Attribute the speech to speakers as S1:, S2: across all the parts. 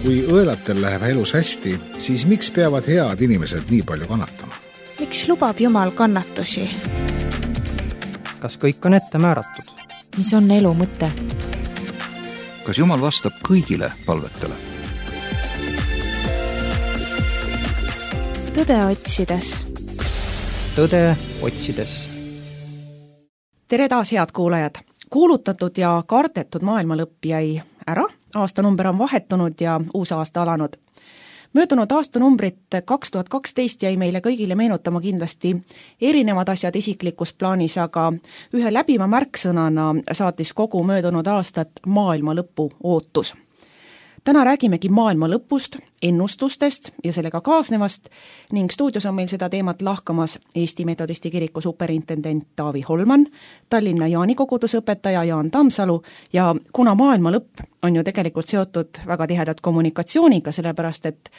S1: Kui õelatel läheb elus hästi, siis miks peavad head inimesed nii palju kannatama?
S2: Miks lubab Jumal kannatusi?
S3: Kas kõik on ette määratud?
S4: Mis on elu mõte?
S5: Kas Jumal vastab kõigile palvetele?
S2: Tõde otsides.
S3: Tõde otsides.
S6: Tere taas, head kuulajad! Kuulutatud ja kardetud maailma lõpp jäi ära, aastanumber on vahetunud ja uus aasta alanud. Möödunud aastanumbrit 2012 jäi meile kõigile meenutama kindlasti erinevad asjad isiklikus plaanis, aga ühe läbiva märksõnana saatis kogu möödunud aastat maailma lõpu ootus. Täna räägimegi maailma lõpust, ennustustest ja sellega kaasnevast ning stuudios on meil seda teemat lahkamas Eesti Metodisti kiriku superintendent Taavi Holman, Tallinna Jaani kogudusõpetaja Jaan Tammsalu ja kuna maailma lõpp on ju tegelikult seotud väga tihedalt kommunikatsiooniga, sellepärast et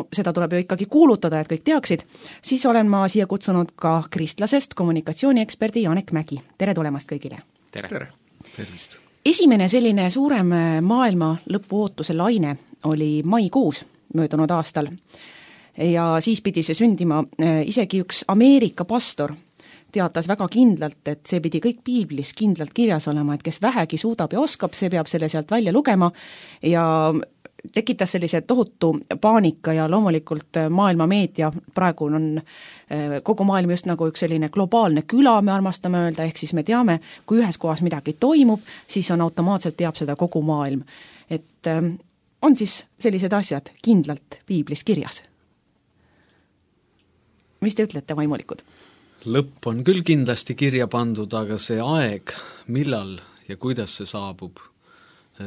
S6: seda tuleb ju ikkagi kuulutada, et kõik teaksid, siis olen ma siia kutsunud ka kristlasest kommunikatsiooni-eksperdi Janek Mägi. Tere tulemast kõigile!
S5: Tere! Tervist!
S6: Esimene selline suurem maailma lõpu ootuse laine oli maikuus möödunud aastal ja siis pidi see sündima. Isegi üks Ameerika pastor teatas väga kindlalt, et see pidi kõik piiblis kindlalt kirjas olema, et kes vähegi suudab ja oskab, see peab selle sealt välja lugema ja tekitas sellise tohutu paanika ja loomulikult maailma meedia, praegu on kogu maailm just nagu üks selline globaalne küla, me armastame öelda, ehk siis me teame, kui ühes kohas midagi toimub, siis on automaatselt teab seda kogu maailm. Et on siis sellised asjad kindlalt piiblis kirjas. Mis te ütlete, vaimulikud?
S7: Lõpp on küll kindlasti kirja pandud, aga see aeg, millal ja kuidas see saabub,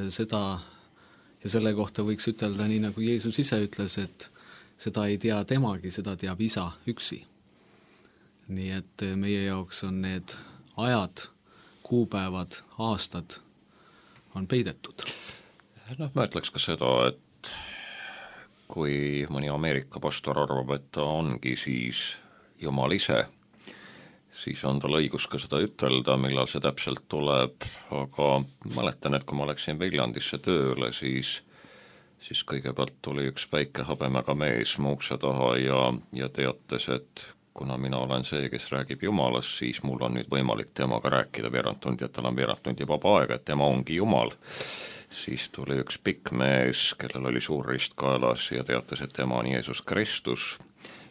S7: seda ja selle kohta võiks ütelda nii, nagu Jeesus ise ütles, et seda ei tea temagi, seda teab isa üksi. Nii et meie jaoks on need ajad, kuupäevad, aastad on peidetud.
S8: Ma ütleks ka seda, et kui mõni Ameerika pastor arvab, et ta ongi siis Jumal ise, siis on tal õigus ka seda ütelda, millal see täpselt tuleb, aga mäletan, et kui ma läksin Viljandisse tööle, siis kõigepealt tuli üks väike habemega mees mu ukse taha ja teates, et kuna mina olen see, kes räägib Jumalast, siis mul on nüüd võimalik temaga rääkida veerand tundi, et tal on veerand tundi vaba aega, et tema ongi Jumal. Siis tuli üks pikk mees, kellel oli suur rist kaelas ja teates, et tema on Jeesus Kristus.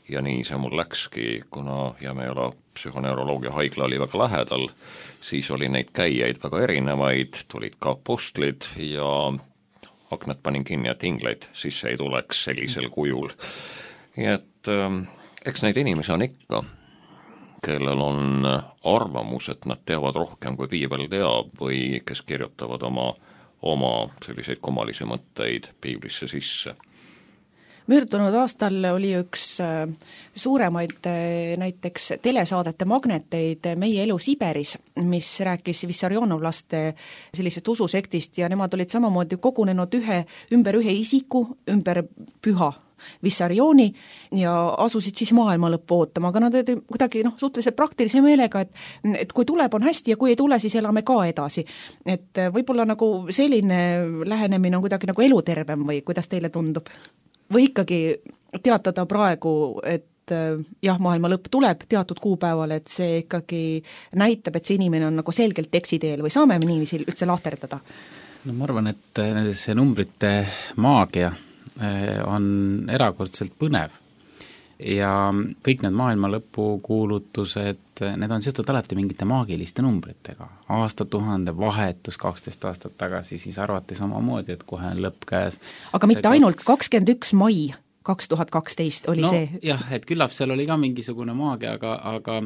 S8: Ja nii see mul läkski, kuna Jämejala psühhoneuroloogia haigla oli väga lähedal, siis oli neid käijaid väga erinevaid, tulid ka apostlid ja aknad panin kinni, et ingleid sisse ei tuleks sellisel kujul. Ja et eks neid inimesi on ikka, kellel on arvamus, et nad teavad rohkem kui piibel teab või kes kirjutavad oma selliseid kummalisi mõtteid piiblisse sisse.
S6: Möödunud aastal oli üks suuremaid näiteks telesaadete magneteid Meie elu Siberis, mis rääkis Vissarionovlaste sellisest ususektist ja nemad olid samamoodi kogunenud ümber ühe isiku, ümber püha Vissarioni ja asusid siis maailma lõppu ootama, aga nad olid kuidagi suhteliselt praktilise meelega, et kui tuleb on hästi ja kui ei tule, siis elame ka edasi. Et võib-olla nagu selline lähenemine on kuidagi nagu elutervem või kuidas teile tundub? Või ikkagi teatada praegu, et jah, maailma lõpp tuleb teatud kuupäeval, et see ikkagi näitab, et see inimene on nagu selgelt eksiteel või saame me niiviisi üldse lahterdada?
S9: Ma arvan, et see numbrite maagia on erakordselt põnev ja kõik need maailma lõpu kuulutused, need on seotud alati mingite maagiliste numbritega. Aastatuhande vahetus 12 aastat tagasi, siis arvati samamoodi, et kohe on lõpp käes.
S6: Aga mitte ainult 21. mai 2012 oli see?
S9: Jah, et küllap seal oli ka mingisugune maagia, aga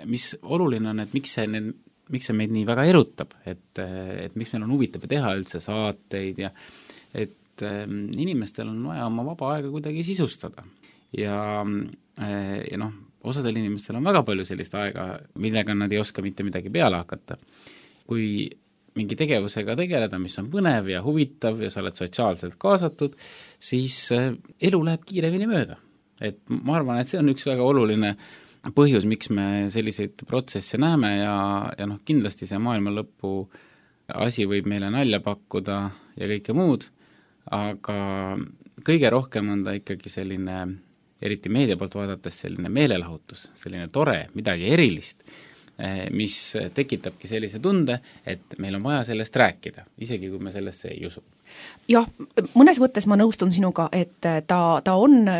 S9: mis oluline on, et miks see meid nii väga erutab, et miks meil on huvitav teha üldse saateid ja et inimestel on vaja oma vaba aega kuidagi sisustada. Ja osadel inimestel on väga palju sellist aega, millega nad ei oska mitte midagi peale hakata. Kui mingi tegevusega tegeleda, mis on põnev ja huvitav ja sa oled sotsiaalselt kaasatud, siis elu läheb kiiremini mööda. Et ma arvan, et see on üks väga oluline põhjus, miks me selliseid protsesse näeme ja kindlasti see maailma lõpu asi võib meile nalja pakkuda ja kõike muud, aga kõige rohkem on ta ikkagi selline, eriti meedia poolt vaadates, selline meelelahutus, selline tore, midagi erilist, mis tekitabki sellise tunde, et meil on vaja sellest rääkida, isegi kui me sellesse ei usu.
S6: Jah, mõnes mõttes ma nõustun sinuga, et ta on,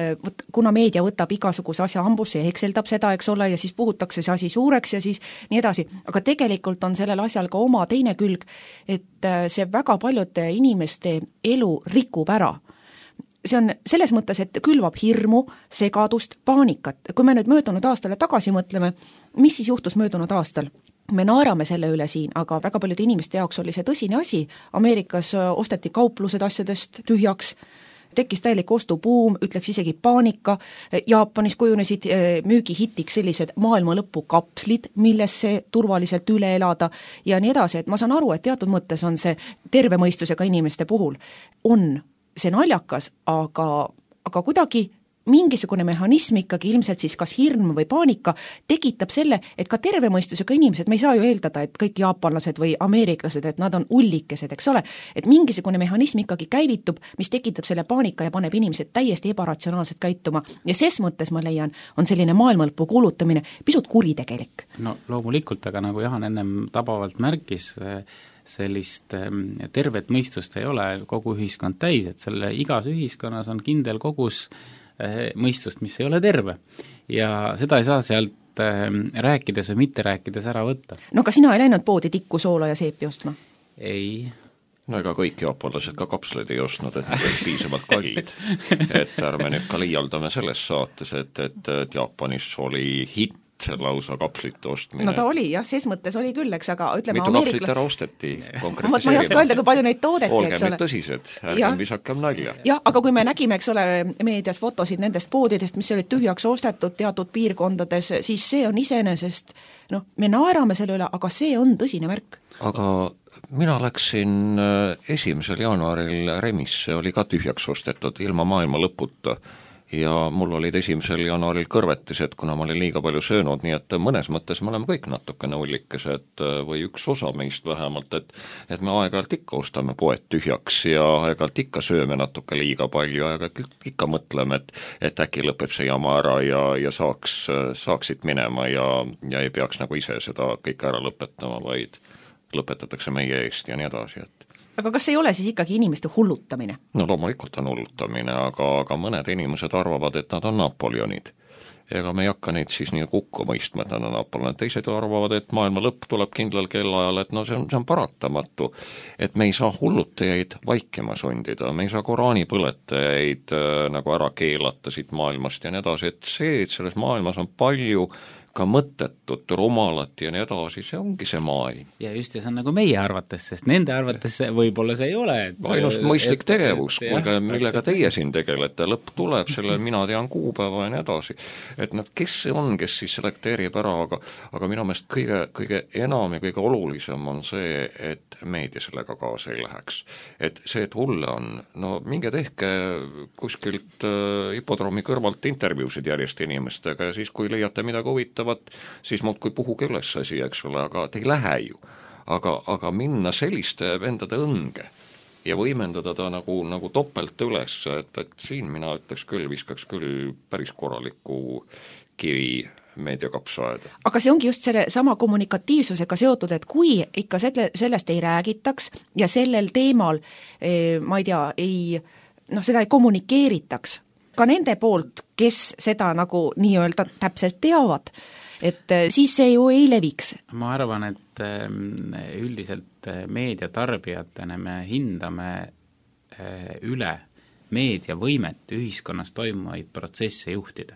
S6: kuna meedia võtab igasuguse asja hambusse ja hekseldab seda, eks ole, ja siis puhutakse see asi suureks ja siis nii edasi, aga tegelikult on sellel asjal ka oma teine külg, et see väga paljude inimeste elu rikub ära. See on selles mõttes, et külvab hirmu, segadust, paanikat. Kui me nüüd möödunud aastale tagasi mõtleme, mis siis juhtus möödunud aastal? Me naerame selle üle siin, aga väga paljude inimeste jaoks oli see tõsine asi. Ameerikas osteti kauplused asjadest tühjaks, tekkis täielik ostubuum, ütleks isegi paanika. Jaapanis kujunesid müügihitiks sellised maailmalõpu kapslid, millesse turvaliselt üle elada ja nii edasi. Et ma saan aru, et teatud mõttes on see terve mõistusega inimeste puhul on see naljakas, aga kuidagi mingisugune mehhanism ikkagi ilmselt siis kas hirm või paanika tekitab selle, et ka terve mõistusega inimesed, me ei saa ju eeldada, et kõik jaapanlased või ameeriklased, et nad on ullikesed, eks ole, et mingisugune mehhanism ikkagi käivitub, mis tekitab selle paanika ja paneb inimesed täiesti ebaratsionaalselt käituma ja ses mõttes ma leian, on selline maailmalõpu kuulutamine pisut kuritegelik.
S9: No loomulikult, aga nagu Jahan ennem tabavalt märkis, sellist tervet mõistust ei ole kogu ühiskond täis, et selle igas ühiskonnas on kindel kogus mõistust, mis ei ole terve. Ja seda ei saa sealt rääkides või mitte rääkides ära võtta.
S6: No ka sina ei läinud poodi tikku, soola ja seepi ostma?
S9: Ei.
S8: No ega kõik jaapanlased ka kapsleid ei ostnud, et need olid piisavalt kallid. Et ärme nüüd ka liialdame selles saates, et Jaapanis oli hitt lausa kapslite ostmine.
S6: No ta oli, jah, ses mõttes oli küll, eks, aga ütleme
S8: mitu kapslit ära osteti?
S6: Ma ei oska öelda, kui palju neid toodeti, eks ole.
S8: Olgem tõsised, ärgem visakem nalja.
S6: Jah, aga kui me nägime, eks ole, meedias fotosid nendest poodidest, mis olid tühjaks ostetud teatud piirkondades, siis see on iseenesest, me naerame selle üle, aga see on tõsine märk.
S8: Aga mina läksin 1. jaanuaril Remisse, oli ka tühjaks ostetud ilma maailma lõputa. Ja mul olid 1. jaanuaril kõrvetised, kuna ma olin liiga palju söönud, nii et mõnes mõttes me oleme kõik natukene ullikesed või üks osa meist vähemalt, et me aeg-ajalt ikka ostame poed tühjaks ja aeg-ajalt ikka sööme natuke liiga palju, aeg-ajalt ikka mõtleme, et äkki lõpeb see jama ära ja saaksid minema ja ei peaks nagu ise seda kõike ära lõpetama, vaid lõpetatakse meie eest ja nii edasi, et
S6: aga kas ei ole siis ikkagi inimeste hullutamine?
S8: No loomulikult on hullutamine, aga mõned inimesed arvavad, et nad on Napoleonid. Ega me ei hakka neid siis nii kukku mõistma, et nad on Napoleonid. Teised arvavad, et maailma lõpp tuleb kindlal kellaajal, et see on paratamatu. Et me ei saa hullutajaid vaikima sundida, me ei saa Koraani põletajaid nagu ära keelata siit maailmast ja nii edasi, et selles maailmas on palju ka mõttetut, rumalat ja nii edasi, see ongi see maailm.
S9: Ja just, ja see on nagu meie arvates, sest nende arvates võib-olla see ei ole.
S8: Ainust mõistlik tegevus, millega teie siin tegelete, lõpp tuleb, selle mina tean kuupäeva ja nii edasi. Et kes see on, kes siis selekteerib ära, aga minu meelest kõige enam ja kõige olulisem on see, et meedia sellega kaasa ei läheks. Et see, et hulle on, minge tehke kuskilt hipodroomi kõrvalt intervjuusid järjest inimestega ja siis, kui leiate midagi huvitavat, siis muudkui puhuge üles asi, eks ole, aga te ei lähe ju. Aga minna selliste vendade õnge ja võimendada ta nagu topelt üles, et siin mina ütleks küll, viskaks küll päris korraliku kivi meediakapsaaeda. Aga
S6: see ongi just selle sama kommunikatiivsusega seotud, et kui ikka sellest ei räägitaks ja sellel teemal, ma ei tea, seda ei kommunikeeritaks, ka nende poolt, kes seda nagu nii-öelda täpselt teavad, et siis see ju ei leviks.
S9: Ma arvan, et üldiselt meediatarbijatena me hindame üle meedia võimet ühiskonnas toimuvaid protsesse juhtida.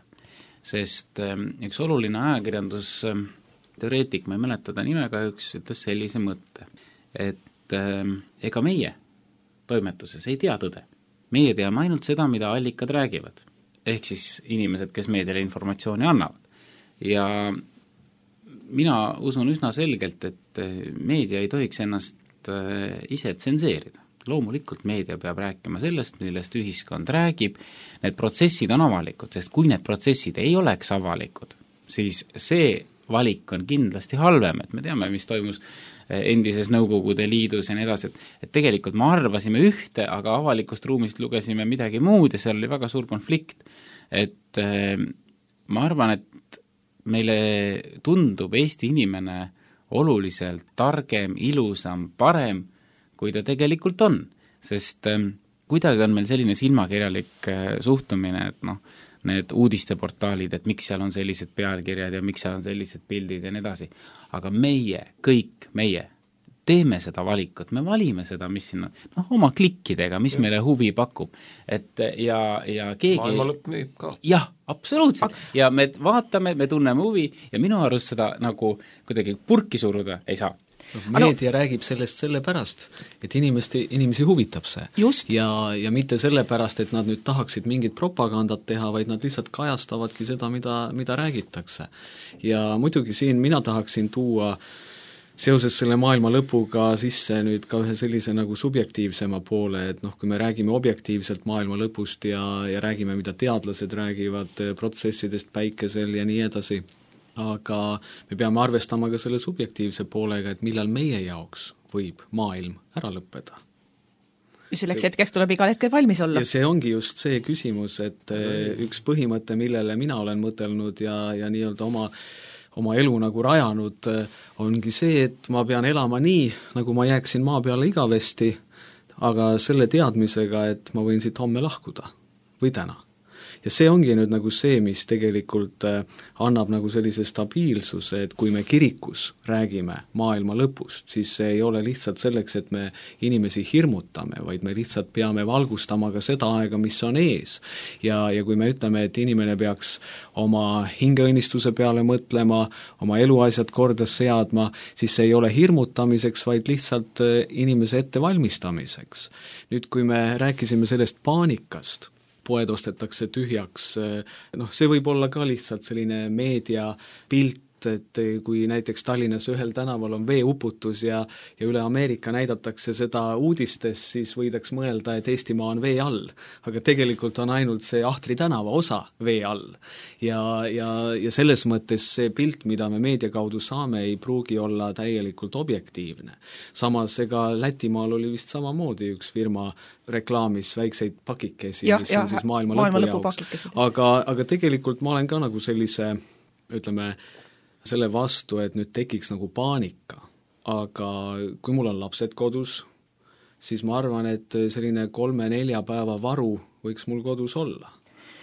S9: Sest üks oluline ajakirjandusteoreetik, ma ei mäleta ta nimega, ütles sellise mõtte, et ega meie toimetuses ei tea tõde. Meie teame ainult seda, mida allikad räägivad, ehk siis inimesed, kes meediale informatsiooni annavad. Ja mina usun üsna selgelt, et meedia ei tohiks ennast ise tsenseerida. Loomulikult meedia peab rääkima sellest, millest ühiskond räägib, need protsessid on avalikud, sest kui need protsessid ei oleks avalikud, siis see valik on kindlasti halvem, et me teame, mis toimus endises Nõukogude Liidus ja nii edasi, et tegelikult me arvasime ühte, aga avalikust ruumist lugesime midagi muud ja seal oli väga suur konflikt. Et ma arvan, et meile tundub Eesti inimene oluliselt targem, ilusam, parem, kui ta tegelikult on, sest kuidagi on meil selline silmakirjalik suhtumine, et need uudisteportaalid, et miks seal on sellised pealkirjad ja miks seal on sellised pildid ja nii edasi. Aga kõik meie teeme seda valikut, me valime seda, mis siin on, oma klikkidega, mis meile huvi pakub. Et ja keegi...
S8: Maailmalõpp müüb ka.
S9: Jah, absoluutselt. Ja me vaatame, me tunneme huvi ja minu arust seda nagu kuidagi purki suruda ei saa.
S7: Meedia räägib sellest sellepärast, et inimesi huvitab see. Ja mitte sellepärast, et nad nüüd tahaksid mingit propagandat teha, vaid nad lihtsalt kajastavadki seda, mida räägitakse. Ja muidugi siin mina tahaksin tuua seoses selle maailma lõpuga sisse nüüd ka ühe sellise nagu subjektiivsema poole, et kui me räägime objektiivselt maailma lõpust ja räägime, mida teadlased räägivad protsessidest päikesel ja nii edasi, aga me peame arvestama ka selle subjektiivse poolega, et millal meie jaoks võib maailm ära lõppeda.
S6: Selleks hetkeks tuleb igal hetkel valmis olla.
S7: Ja see ongi just see küsimus, et üks põhimõte, millele mina olen mõtelnud ja nii-öelda oma elu nagu rajanud, ongi see, et ma pean elama nii, nagu ma jääksin maa peale igavesti, aga selle teadmisega, et ma võin siit homme lahkuda või täna. Ja see ongi nüüd nagu see, mis tegelikult annab nagu sellise stabiilsuse, et kui me kirikus räägime maailma lõpust, siis see ei ole lihtsalt selleks, et me inimesi hirmutame, vaid me lihtsalt peame valgustama ka seda aega, mis on ees. Ja kui me ütleme, et inimene peaks oma hingeõnnistuse peale mõtlema, oma eluasjad korda seadma, siis see ei ole hirmutamiseks, vaid lihtsalt inimese ettevalmistamiseks. Nüüd, kui me rääkisime sellest paanikast, poed ostetakse tühjaks, see võib olla ka lihtsalt selline meediapilt, et kui näiteks Tallinnas ühel tänaval on veeuputus ja üle Ameerika näidatakse seda uudistes, siis võidaks mõelda, et Eestimaa on vee all. Aga tegelikult on ainult see Ahtri tänava osa vee all. Ja selles mõttes see pilt, mida me meedia kaudu saame, ei pruugi olla täielikult objektiivne. Samas ega Lätimaal oli vist samamoodi üks firma reklaamis väikseid pakikesi, mis on siis maailma lõpu jaoks. Aga tegelikult ma olen ka nagu sellise, ütleme, selle vastu, et nüüd tekiks nagu paanika. Aga kui mul on lapsed kodus, siis ma arvan, et selline 3-4 päeva varu võiks mul kodus olla.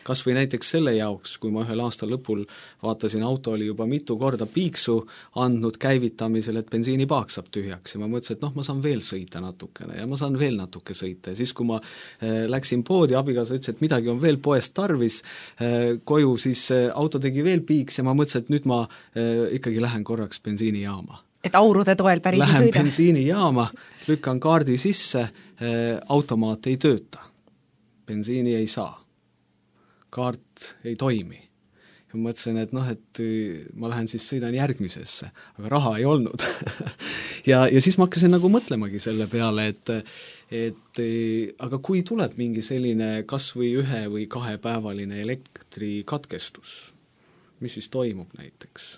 S7: Kas või näiteks selle jaoks, kui ma ühel aasta lõpul vaatasin, auto oli juba mitu korda piiksu andnud käivitamisel, et bensiinipaak saab tühjaks ja ma mõtlesin, et ma saan veel sõita natukene ja ma saan veel natuke sõita ja siis, kui ma läksin poodi, abikaasa ütles, et midagi on veel poest tarvis koju, siis auto tegi veel piiks ja ma mõtlesin, et nüüd ma ikkagi lähen korraks bensiinijaama.
S6: Et aurude toel päris
S7: lähen
S6: ei sõida?
S7: Lähen bensiinijaama, lükkan kaardi sisse, automaat ei tööta, bensiini ei saa. Kaart ei toimi. Ja ma mõtlesin, et et ma lähen siis sõidan järgmisesse, aga raha ei olnud. ja siis ma hakkasin nagu mõtlemagi selle peale, et aga kui tuleb mingi selline kas või 1 või 2 päevaline elektrikatkestus, mis siis toimub näiteks?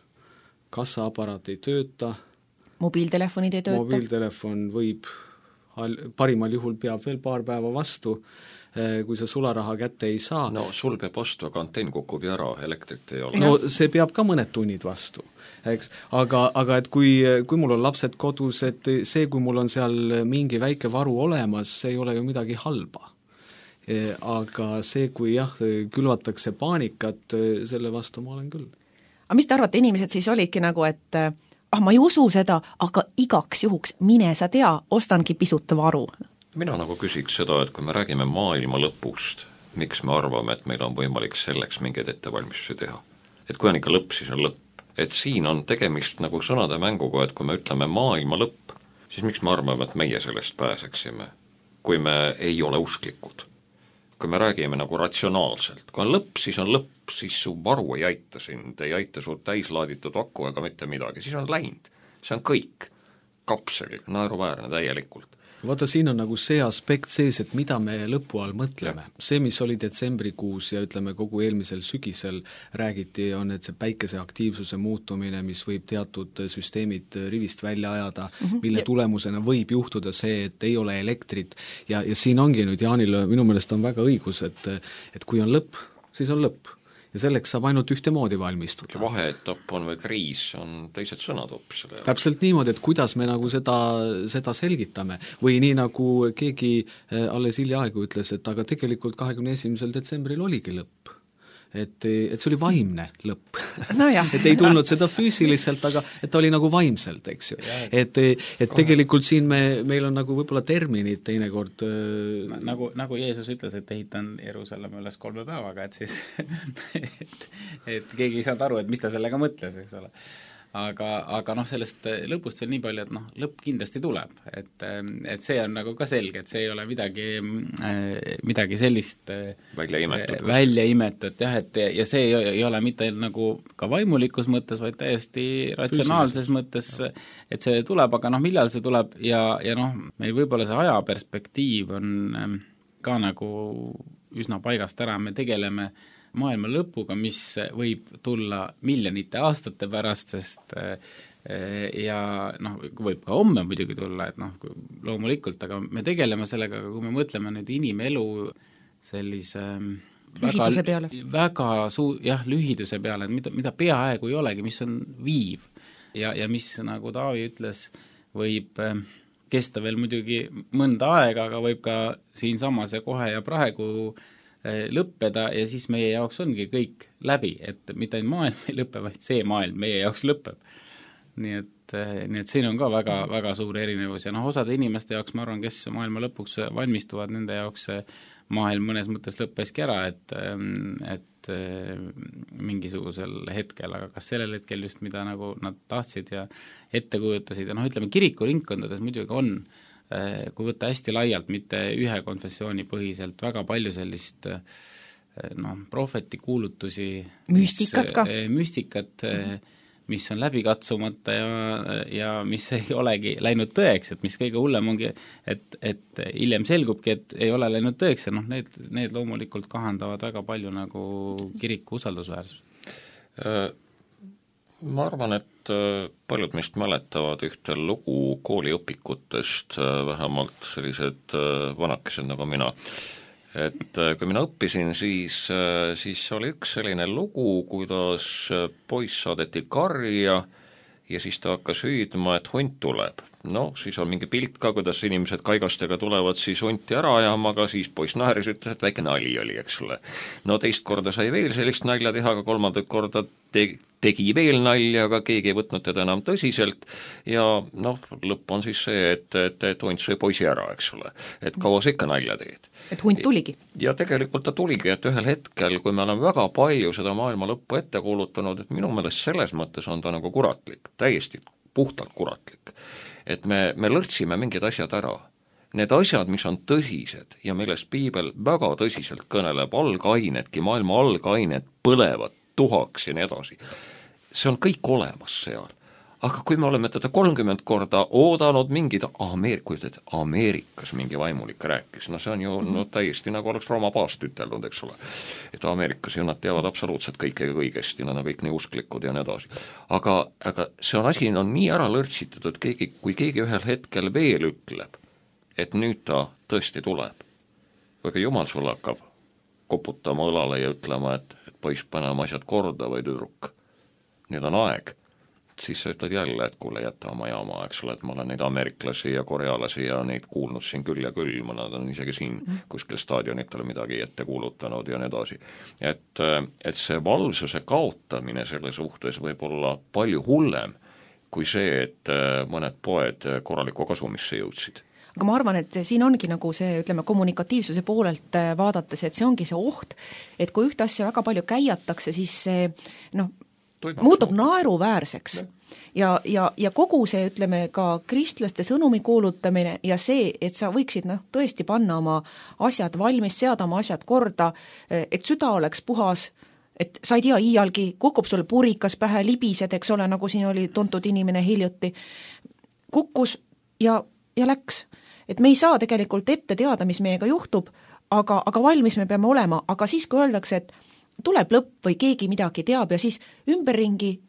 S7: Kassaaparaat ei tööta,
S6: mobiiltelefonid ei tööta?
S7: Mobiiltelefon võib, parimal juhul peab veel paar päeva vastu, kui sa sularaha kätte ei saa.
S8: No sul peab vastu, aga antenn kukub ja ära, elektrit ei ole.
S7: No see peab ka mõned tunnid vastu, eks. Aga et kui mul on lapsed kodus, et see, kui mul on seal mingi väike varu olemas, see ei ole ju midagi halba. Aga see, kui külvatakse paanikat, selle vastu ma olen küll.
S6: Aga mis te arvate, inimesed siis olidki nagu, et ma ei usu seda, aga igaks juhuks mine sa tea, ostangi pisut varu?
S8: Mina nagu küsiks seda, et kui me räägime maailma lõpust, miks me arvame, et meil on võimalik selleks mingeid ettevalmistusi teha. Et kui on ikka lõpp, siis on lõpp. Et siin on tegemist nagu sõnade mänguga, et kui me ütleme maailma lõpp, siis miks me arvame, et meie sellest pääseksime, kui me ei ole usklikud. Kui me räägime nagu ratsionaalselt. Kui on lõpp, siis su varu ei aita sind, ei aita su täislaaditud aku ega mitte midagi, siis on läinud. See on kõik. Kapsel, naeruväärne täielikult.
S7: vaata, siin on nagu see aspekt sees, et mida me lõpu all mõtleme. See, mis oli detsembrikuus ja ütleme kogu eelmisel sügisel räägiti, on, et see päikese aktiivsuse muutumine, mis võib teatud süsteemid rivist välja ajada, mille tulemusena võib juhtuda see, et ei ole elektrit ja siin ongi nüüd Jaanil minu meelest on väga õigus, et kui on lõpp, siis on lõpp. Ja selleks saab ainult ühtemoodi valmistuda.
S8: Vaheetapp on või kriis, on teised sõnad hoopis.
S7: Täpselt niimoodi, et kuidas me nagu seda selgitame. Või nii nagu keegi alles hiljaaegu ütles, et aga tegelikult 21. detsembril oligi lõpp. Et see oli vaimne lõpp.
S6: No jah.
S7: Et ei tulnud seda füüsiliselt, aga et ta oli nagu vaimselt, eks ju. Et tegelikult siin meil on nagu võib-olla terminid teinekord
S9: nagu Jeesus ütles, et ehitan Jeruusalemma üles 3 päevaga, et siis et keegi ei saanud aru, et mis ta sellega mõtles, eks ole. Aga noh, sellest lõpust veel nii palju, et noh, lõpp kindlasti tuleb, et see on nagu ka selge, et see ei ole midagi sellist välja imetud, jah, et ja see ei ole mitte nagu ka vaimulikus mõttes, vaid täiesti ratsionaalses mõttes, et see tuleb, aga noh, millal see tuleb ja noh, meil võib-olla see ajaperspektiiv on ka nagu üsna paigast ära, me tegeleme maailma lõpuga, mis võib tulla miljonite aastate pärast, sest ja noh, võib ka homme muidugi tulla, et noh, loomulikult, aga me tegeleme sellega, aga kui me mõtleme nüüd inimelu sellise
S6: lühiduse peale.
S9: Väga lühiduse peale, et mida peaaegu ei olegi, mis on viiv ja mis, nagu Taavi ütles, võib kesta veel muidugi mõnda aega, aga võib ka siinsamas ja kohe ja praegu lõppeda ja siis meie jaoks ongi kõik läbi, et mitte ainult maailm ei lõpe, vaid see maailm meie jaoks lõpeb. Nii et siin on ka väga, väga suur erinevus ja noh, osade inimeste jaoks, ma arvan, kes maailma lõpuks valmistuvad, nende jaoks maailm mõnes mõttes lõppeski ära, et mingisugusel hetkel, aga kas sellel hetkel just, mida nagu nad tahtsid ja ette kujutasid ja noh, ütleme kirikuringkondades muidugi on, kui võtta hästi laialt, mitte ühe konfessiooni põhiselt, väga palju sellist prohvetikuulutusi, müstikat, mis on läbi katsumata ja mis ei olegi läinud tõeks, et mis kõige hullem ongi, et hiljem selgubki, et ei ole läinud tõeks ja noh, need loomulikult kahandavad väga palju nagu kiriku usaldusväärsus.
S8: Ma arvan, et paljud meist mäletavad ühte lugu kooliõpikutest, vähemalt sellised vanakesed nagu mina. Et kui mina õppisin, siis oli üks selline lugu, kuidas poiss saadeti karja ja siis ta hakkas hüüdma, et hunt tuleb. No, siis on mingi pilt ka, kuidas inimesed kaigastega tulevad siis hunti ära ajama, aga siis poiss naeris, ütles, et väike nali oli, eks ole. No teist korda sai veel sellist nalja teha, aga kolmandat korda tegi veel nalja, aga keegi ei võtnud teda enam tõsiselt ja noh, lõpp on siis see, et hunt sai poisi ära, eks ole. Et kaua sa ikka nalja teed.
S6: Et hunt tuligi.
S8: Ja tegelikult ta tuligi, et ühel hetkel, kui me oleme väga palju seda maailma lõppu ette kuulutanud, et minu meelest selles mõttes on ta nagu kuratlik, täiesti puhtalt kuratlik. Et me lõrtsime mingid asjad ära. Need asjad, mis on tõsised ja millest piibel väga tõsiselt kõneleb, algainedki, maailma algained põlevad tuhaks ja nii edasi. See on kõik olemas seal. Aga kui me oleme teda 30 korda oodanud mingid Ameerikas mingi vaimulik rääkis, no see on ju täiesti nagu oleks Rooma paast üteldud, eks ole. Et Ameerikas ju nad teavad absoluutselt kõikega kõigesti, nad on kõik nii usklikud ja nii edasi. Aga see asi on nii ära lõrtsitud, et kui keegi ühel hetkel veel ütleb, et nüüd ta tõesti tuleb, või Jumal sul hakkab koputama õlale ja ütlema, et poiss, paneme asjad korda või tüdruk, nüüd on aeg, siis sa ütled jälle, et kuule, jäta oma jaama, eks ole, et ma olen neid ameeriklasi ja korealasi ja neid kuulnud siin küll ja küll, nad on isegi siin kuskil staadionitele midagi ette kuulutanud ja nii edasi. Et see valvsuse kaotamine selle suhtes võib olla palju hullem kui see, et mõned poed korralikku kasumisse jõudsid.
S6: Aga ma arvan, et siin ongi nagu see, ütleme, kommunikatiivsuse poolelt vaadates, et see ongi see oht, et kui ühte asja väga palju käiatakse, siis see muutub naeruväärseks. Ja kogu see, ütleme, ka kristlaste sõnumi kuulutamine ja see, et sa võiksid tõesti panna oma asjad valmis, seada oma asjad korda, et süda oleks puhas, et sa ei tea, iialgi kukub sul purikas pähe, libised, eks ole, nagu siin oli tuntud inimene hiljuti, kukkus ja läks. et me ei saa tegelikult ette teada, mis meiega juhtub, aga valmis me peame olema, aga siis, kui öeldakse, et tuleb lõpp või keegi midagi teab ja siis ümberringi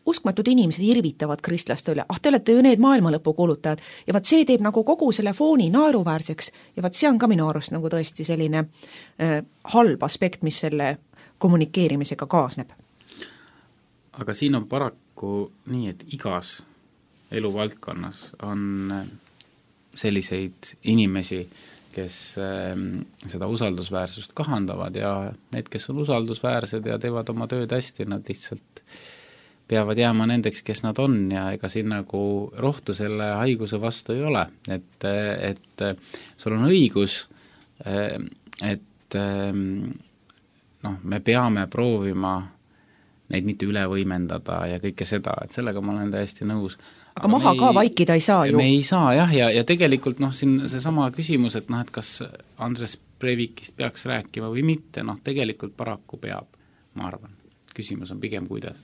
S6: uskmatud inimesed irvitavad kristlaste üle, te olete ju need maailmalõpu kuulutajad ja vaat see teeb nagu kogu selle fooni naeruväärseks ja vaat see on ka minu arust nagu tõesti selline halb aspekt, mis selle kommunikeerimisega kaasneb.
S9: Aga siin on paraku nii, et igas eluvaldkonnas on selliseid inimesi, kes seda usaldusväärsust kahandavad ja need, kes on usaldusväärsed ja teevad oma tööd hästi, nad lihtsalt peavad jääma nendeks, kes nad on ja ega siin nagu rohtu selle haiguse vastu ei ole, et sul on õigus, et me peame proovima neid mitte üle võimendada ja kõike seda, et sellega ma olen täiesti nõus.
S6: Aga maha ka vaikida ei saa ju.
S9: Me ei saa jah, ja tegelikult siin see sama küsimus, et et kas Andres Breivikist peaks rääkima või mitte, tegelikult paraku peab, ma arvan. Küsimus on pigem kuidas.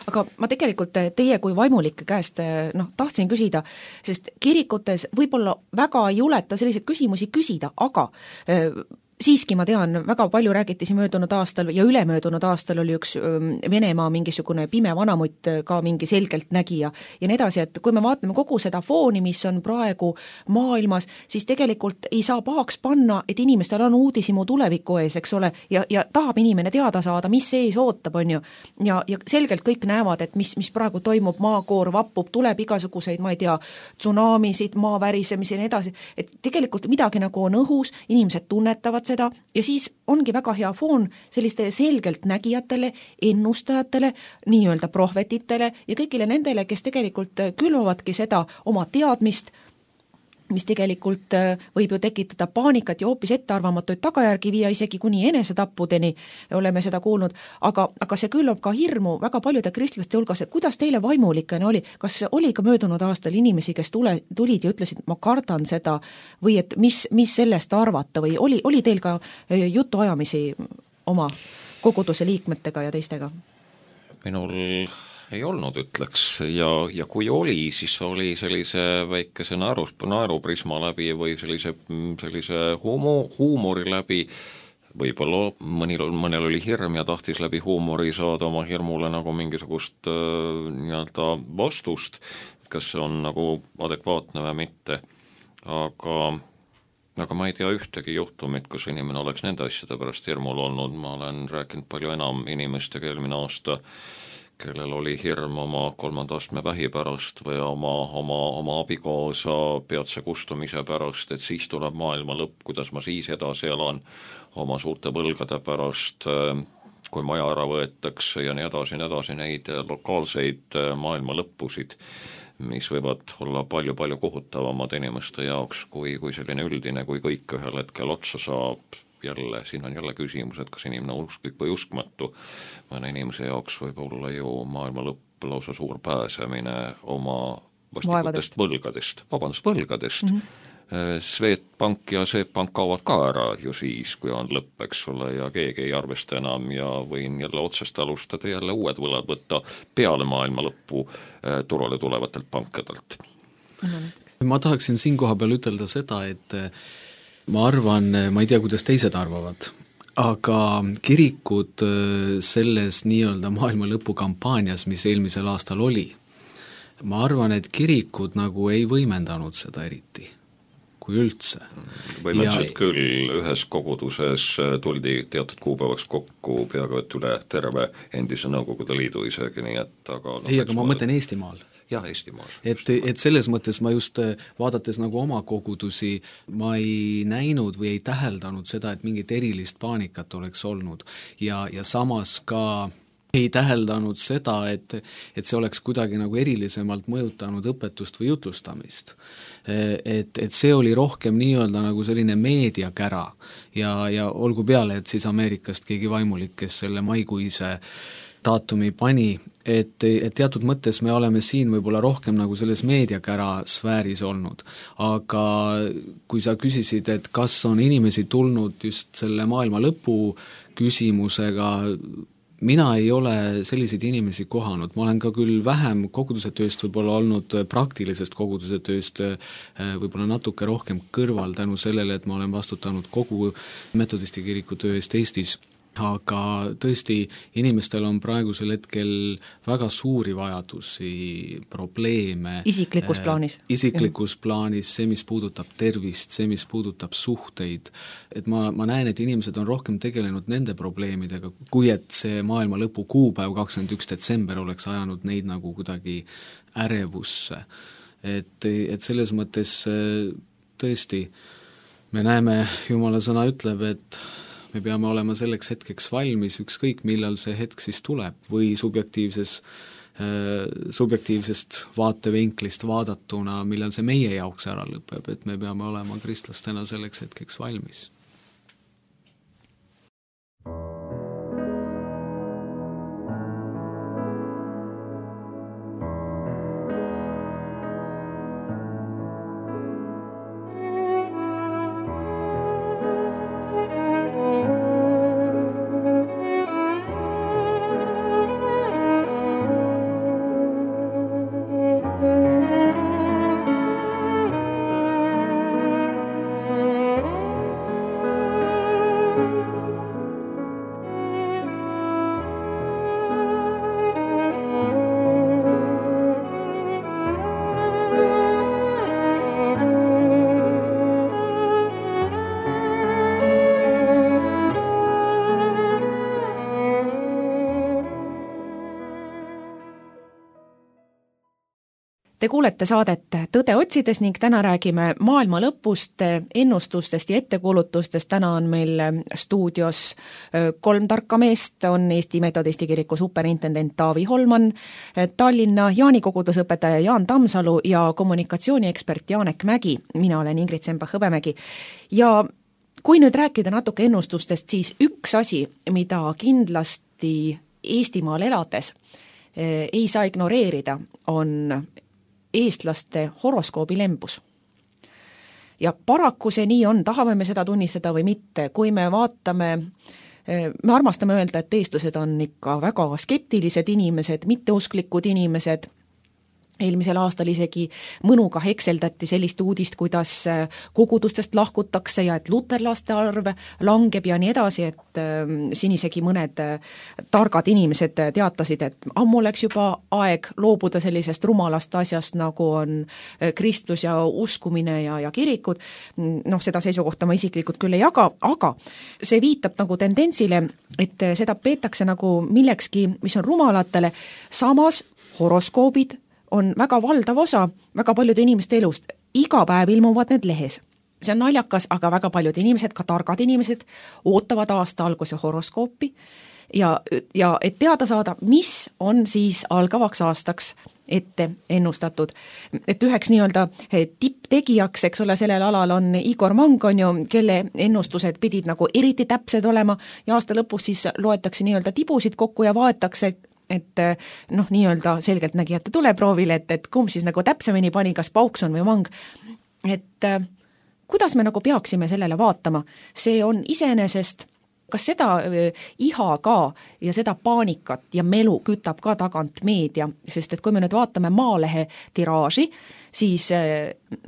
S6: Aga ma tegelikult teie kui vaimulike käest tahtsin küsida, sest kirikutes võib-olla väga ei juleta selliseid küsimusi küsida, aga siiski ma tean, väga palju räägiti siin möödunud aastal ja ülemöödunud aastal oli üks Venemaa mingisugune pime vanamutt ka mingi selgelt nägija ja nii edasi, et kui me vaatame kogu seda fooni, mis on praegu maailmas, siis tegelikult ei saa pahaks panna, et inimestel on uudishimu tuleviku ees, eks ole, ja tahab inimene teada saada, mis ees ootab, on ju. Ja selgelt kõik näevad, et mis praegu toimub, maakoor vappub, tuleb igasuguseid, ma ei tea, tsunamisid, maavärisemisi ja nii edasi, et tegelikult midagi nagu on õhus, inimesed tunnetavad seda ja siis ongi väga hea foon selliste selgelt nägijatele, ennustajatele, nii-öelda prohvetitele ja kõigile nendele, kes tegelikult külvavadki seda oma teadmist, mis tegelikult võib ju tekitada paanikat ja hoopis ettearvamatuid tagajärgi viia isegi kuni enesetappudeni, oleme seda kuulnud, aga see külvab ka hirmu väga paljude kristlaste hulgas, et kuidas teile vaimulikene oli, kas oli ka möödunud aastal inimesi, kes tulid ja ütlesid, ma kardan seda või et mis sellest arvata või oli teil ka jutuajamisi oma koguduse liikmetega ja teistega?
S8: Minul ei olnud, ütleks, ja kui oli, siis oli sellise väikese naeruprisma läbi või sellise huumori läbi, võib-olla mõnel oli hirm ja tahtis läbi huumori saada oma hirmule nagu mingisugust nii-öelda vastust, kas see on nagu adekvaatne või mitte, aga ma ei tea ühtegi juhtumit, kus inimene oleks nende asjade pärast hirmul olnud, ma olen rääkinud palju enam inimestega eelmine aasta, kellel oli hirm oma 3. astme vähi pärast või oma abikaasa peatse kustumise pärast, et siis tuleb maailma lõpp, kuidas ma siis edasi elan oma suurte võlgade pärast, kui maja ära võetakse ja nii edasi, neid lokaalseid maailma lõppusid, mis võivad olla palju-palju kohutavamad inimeste jaoks kui selline üldine, kui kõik ühel hetkel otsa saab. Jälle, siin on jälle küsimus, et kas inimene on usklik või uskmatu. Mõne inimese jaoks võib olla ju maailma lõpp lausa suur pääsemine oma vastikutest võlgadest. Swedbank ja Swedbank kaovad ka ära ju siis, kui on lõpp, eks ole, ja keegi ei arvesta enam ja võin jälle otsest alustada jälle uued võlad võtta peale maailma lõppu turule tulevatelt pankadelt.
S7: Ma tahaksin siin koha peal ütelda seda, et ma arvan, ma ei tea, kuidas teised arvavad, aga kirikud selles nii-öelda maailma lõpukampaanias, mis eelmisel aastal oli, ma arvan, et kirikud nagu ei võimendanud seda eriti, kui üldse.
S8: Võimendasid küll, ühes koguduses tuldi teatud kuupäevaks kokku peaaegu et üle terve endise Nõukogude Liidu isegi, nii et aga
S7: ma mõtlen Eestimaal.
S8: Jah, Eestimaal.
S7: Et selles mõttes ma just vaadates nagu oma kogudusi, ma ei näinud või ei täheldanud seda, et mingit erilist paanikat oleks olnud ja samas ka ei täheldanud seda, et see oleks kuidagi nagu erilisemalt mõjutanud õpetust või jutlustamist. Et see oli rohkem nii-öelda nagu selline meediakära ja olgu peale, et siis Ameerikast keegi vaimulik, kes selle maikuise daatumi pani, et teatud mõttes me oleme siin võib-olla rohkem nagu selles meediakära sfääris olnud. Aga kui sa küsisid, et kas on inimesi tulnud just selle maailma lõpu küsimusega, mina ei ole selliseid inimesi kohanud, ma olen ka küll vähem koguduse tööst võib-olla olnud praktilisest koguduse tööst võib-olla natuke rohkem kõrval tänu sellele, et ma olen vastutanud kogu metodisti kiriku töö eest Eestis, aga tõesti, inimestel on praegusel hetkel väga suuri vajadusi, probleeme.
S6: Isiklikus plaanis.
S7: Isiklikus plaanis, see, mis puudutab tervist, see, mis puudutab suhteid. Et ma näen, et inimesed on rohkem tegelenud nende probleemidega, kui et see maailma lõpu kuupäev 21. detsember oleks ajanud neid nagu kuidagi ärevusse. Et selles mõttes tõesti, me näeme, Jumala sõna ütleb, et me peame olema selleks hetkeks valmis, ükskõik millal see hetk siis tuleb või subjektiivsest vaatevinklist vaadatuna, millal see meie jaoks ära lõpeb, et me peame olema kristlastena selleks hetkeks valmis.
S6: Te kuulete saadet Tõde otsides ning täna räägime maailma lõpust, ennustustest ja ettekuulutustest. Täna on meil stuudios 3 tarka meest, on Eesti Metodisti kiriku superintendent Taavi Holman, Tallinna Jaani kogudusõpetaja Jaan Tammsalu ja kommunikatsiooniekspert Janek Mägi. Mina olen Ingrid Sembach-Hõbemägi. Ja kui nüüd rääkida natuke ennustustest, siis üks asi, mida kindlasti Eestimaal elades ei saa ignoreerida, on eestlaste horoskoobilembus. Ja paraku see nii on, tahame me seda tunnistada või mitte, kui me vaatame, me armastame öelda, et eestlased on ikka väga skeptilised inimesed, mitteusklikud inimesed. Eelmisel aastal isegi mõnuga hekseldati sellist uudist, kuidas kogudustest lahkutakse ja et luterlaste arv langeb ja nii edasi, et siin isegi mõned targad inimesed teatasid, et ammu läks juba aeg loobuda sellisest rumalast asjast, nagu on kristlus ja uskumine ja kirikud. Seda seisukohta ma isiklikult küll ei jaga, aga see viitab nagu tendentsile, et seda peetakse nagu millekski, mis on rumalatele, samas horoskoobid on väga valdav osa väga paljude inimeste elust. Iga päev ilmuvad need lehes. See on naljakas, aga väga paljud inimesed, ka targad inimesed, ootavad aasta alguse horoskoopi ja et teada saada, mis on siis algavaks aastaks ette ennustatud. Et üheks nii-öelda tipptegijaks, eks ole, sellel alal on Igor Mang, on ju, kelle ennustused pidid nagu eriti täpsed olema ja aasta lõpus siis loetakse nii-öelda tibusid kokku ja vaetakse, et nii-öelda selgelt nägijate tuleproovile, et kumb siis nagu täpsemini pani, kas Paukson või Mang. Et kuidas me nagu peaksime sellele vaatama? See on iseenesest, kas seda iha ka ja seda paanikat ja melu kütab ka tagant meedia, sest et kui me nüüd vaatame Maalehe tiraaži, siis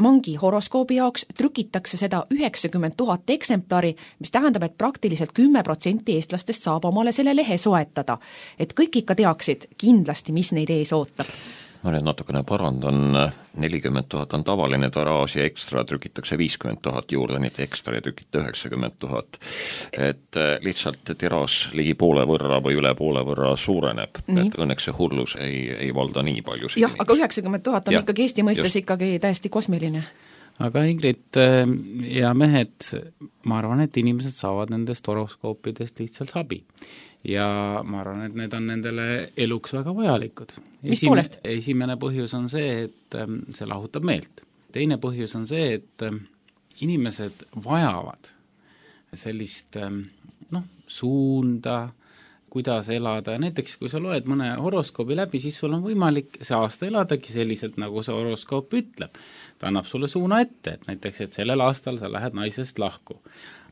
S6: Mangi horoskoobi jaoks trükitakse seda 90 000 eksemplari, mis tähendab, et praktiliselt 10% eestlastest saab omale selle lehe soetada. Et kõik ikka teaksid kindlasti, mis neid ees ootab.
S8: Ma nüüd natukene parandan, 40 000 on tavaline tiraaž ja ekstra trükitakse 50 000 juurde, nii et ekstra ja trükita 90 000. Et lihtsalt tiraaž ligi poole võrra või üle poole võrra suureneb, et õnneks see hullus ei valda nii palju.
S6: Jah, aga 90 000 on ikkagi Eesti mõistes ikkagi täiesti kosmiline.
S9: Aga Ingrid ja mehed, ma arvan, et inimesed saavad nendest horoskoopidest lihtsalt abi. Ja ma arvan, et need on nendele eluks väga vajalikud. Esimene põhjus on see, et see lahutab meelt. Teine põhjus on see, et inimesed vajavad sellist suunda, kuidas elada ja näiteks kui sa loed mõne horoskoobi läbi, siis sul on võimalik see aasta eladagi selliselt, nagu see horoskoop ütleb. Ta annab sulle suuna ette, et näiteks, et sellel aastal sa lähed naisest lahku.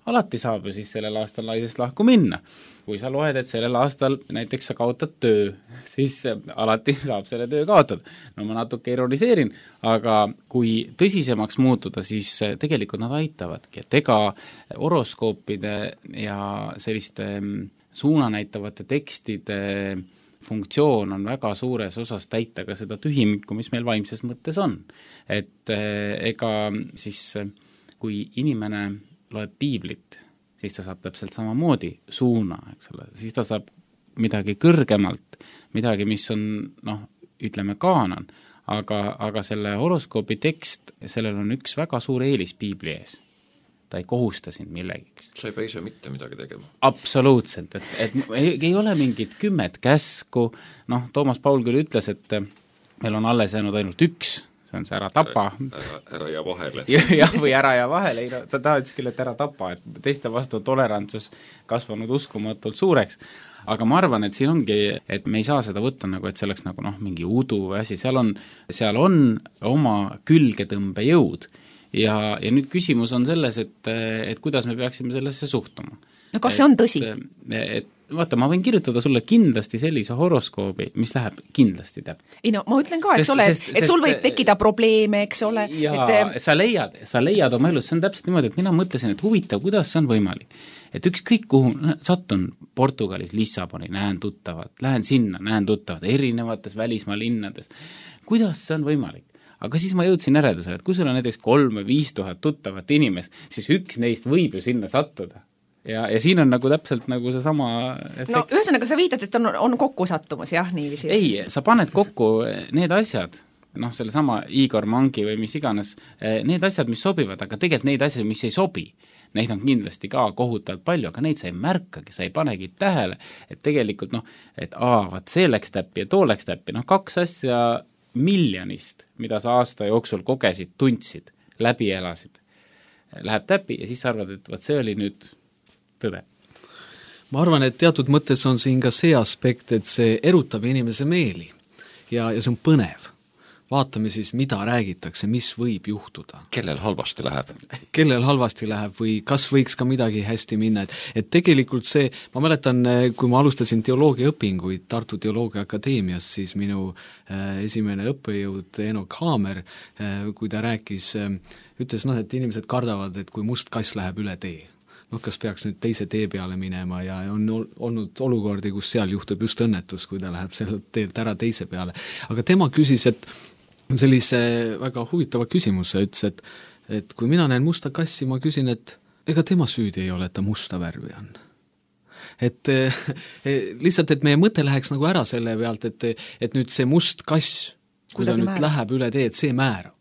S9: alati saab ju siis sellel aastal naisest lahku minna. Kui sa loed, et sellel aastal näiteks sa kaotad töö, siis alati saab selle töö kaotada. No ma natuke ironiseerin, aga kui tõsisemaks muutuda, siis tegelikult nad aitavadki, et ega horoskoopide ja selliste suunanäitavate tekstide funktsioon on väga suures osas täita ka seda tühimikku, mis meil vaimses mõttes on. Et ega siis, kui inimene loeb piiblit, siis ta saab täpselt samamoodi suuna, eks ole, siis ta saab midagi kõrgemalt, midagi, mis on, ütleme, kaanon, aga selle horoskoobi tekst, sellel on üks väga suur eelis piibli ees. Ta ei kohusta sind millegiks.
S8: Sa ei pea ise mitte midagi tegema.
S9: Absoluutselt, et ei ole mingit 10 käsku, Toomas Paul küll ütles, et meil on alles jäänud ainult üks, see on see ära tapa.
S8: Ära ja vahele.
S9: Jah, või ära ja vahele, ta ütles küll, et ära tapa, et teiste vastu tolerantsus kasvanud uskumatult suureks, aga ma arvan, et siin ongi, et me ei saa seda võtta nagu, et see oleks nagu mingi udu või asi, seal on oma külgetõmbe jõud. Ja nüüd küsimus on selles, et kuidas me peaksime sellesse suhtuma.
S6: No kas see on tõsi?
S9: Et vaata, ma võin kirjutada sulle kindlasti sellise horoskoobi, mis läheb kindlasti täp.
S6: Ei no, ma ütlen ka, eks ole, et sul võib tekkida probleeme, eks ole.
S9: Ja sa leiad oma elus, see on täpselt niimoodi, et mina mõtlesin, et huvitav, kuidas see on võimalik. Et ükskõik kuhu satun Portugalis, Lissaboni, näen tuttavad, lähen sinna, näen tuttavad, erinevates välismaa linnades. Kuidas see on võimalik? Aga siis ma jõudsin järeldusele, et kui sul on näiteks 3 või 5 tuhat tuttavat inimest, siis üks neist võib ju sinna sattuda. Ja siin on nagu täpselt nagu see sama efekt.
S6: No ühesõnaga sa viitad, et on kokkusattumus, jah, niiviisi?
S9: Ei, sa paned kokku need asjad, selle sama Igor Mangi või mis iganes, need asjad, mis sobivad, aga tegelikult neid asjad, mis ei sobi, neid on kindlasti ka kohutavalt palju, aga neid sa ei märkagi, sa ei panegi tähele, et tegelikult vaat see läks täppi ja too läks täppi, 2 asja miljonist, mida sa aasta jooksul kogesid, tundsid, läbi elasid, läheb täppi ja siis sa arvad, et see oli nüüd tõde.
S7: Ma arvan, et teatud mõttes on siin ka see aspekt, et see erutab inimese meeli ja see on põnev. Vaatame siis, mida räägitakse, mis võib juhtuda.
S8: Kellel halvasti läheb?
S7: Kellel halvasti läheb või kas võiks ka midagi hästi minna, et tegelikult see, ma mäletan, kui ma alustasin teoloogiaõpinguid Tartu Teoloogia Akadeemias, siis minu esimene õppejõud Enok Haamer, kui ta rääkis, ütles, et inimesed kardavad, et kui must kass läheb üle tee, kas peaks nüüd teise tee peale minema ja on olnud olukordi, kus seal juhtub just õnnetus, kui ta läheb sellelt teelt ära teise peale. Aga tema küsis, et sellise väga huvitava küsimuse ütles, et kui mina näen musta kassi, ma küsin, et ega tema süüdi ei ole, et ta musta värvi on. Et lihtsalt, et meie mõte läheks nagu ära selle pealt, et nüüd see must kass, kui ta nüüd läheb üle tee, et see määrab.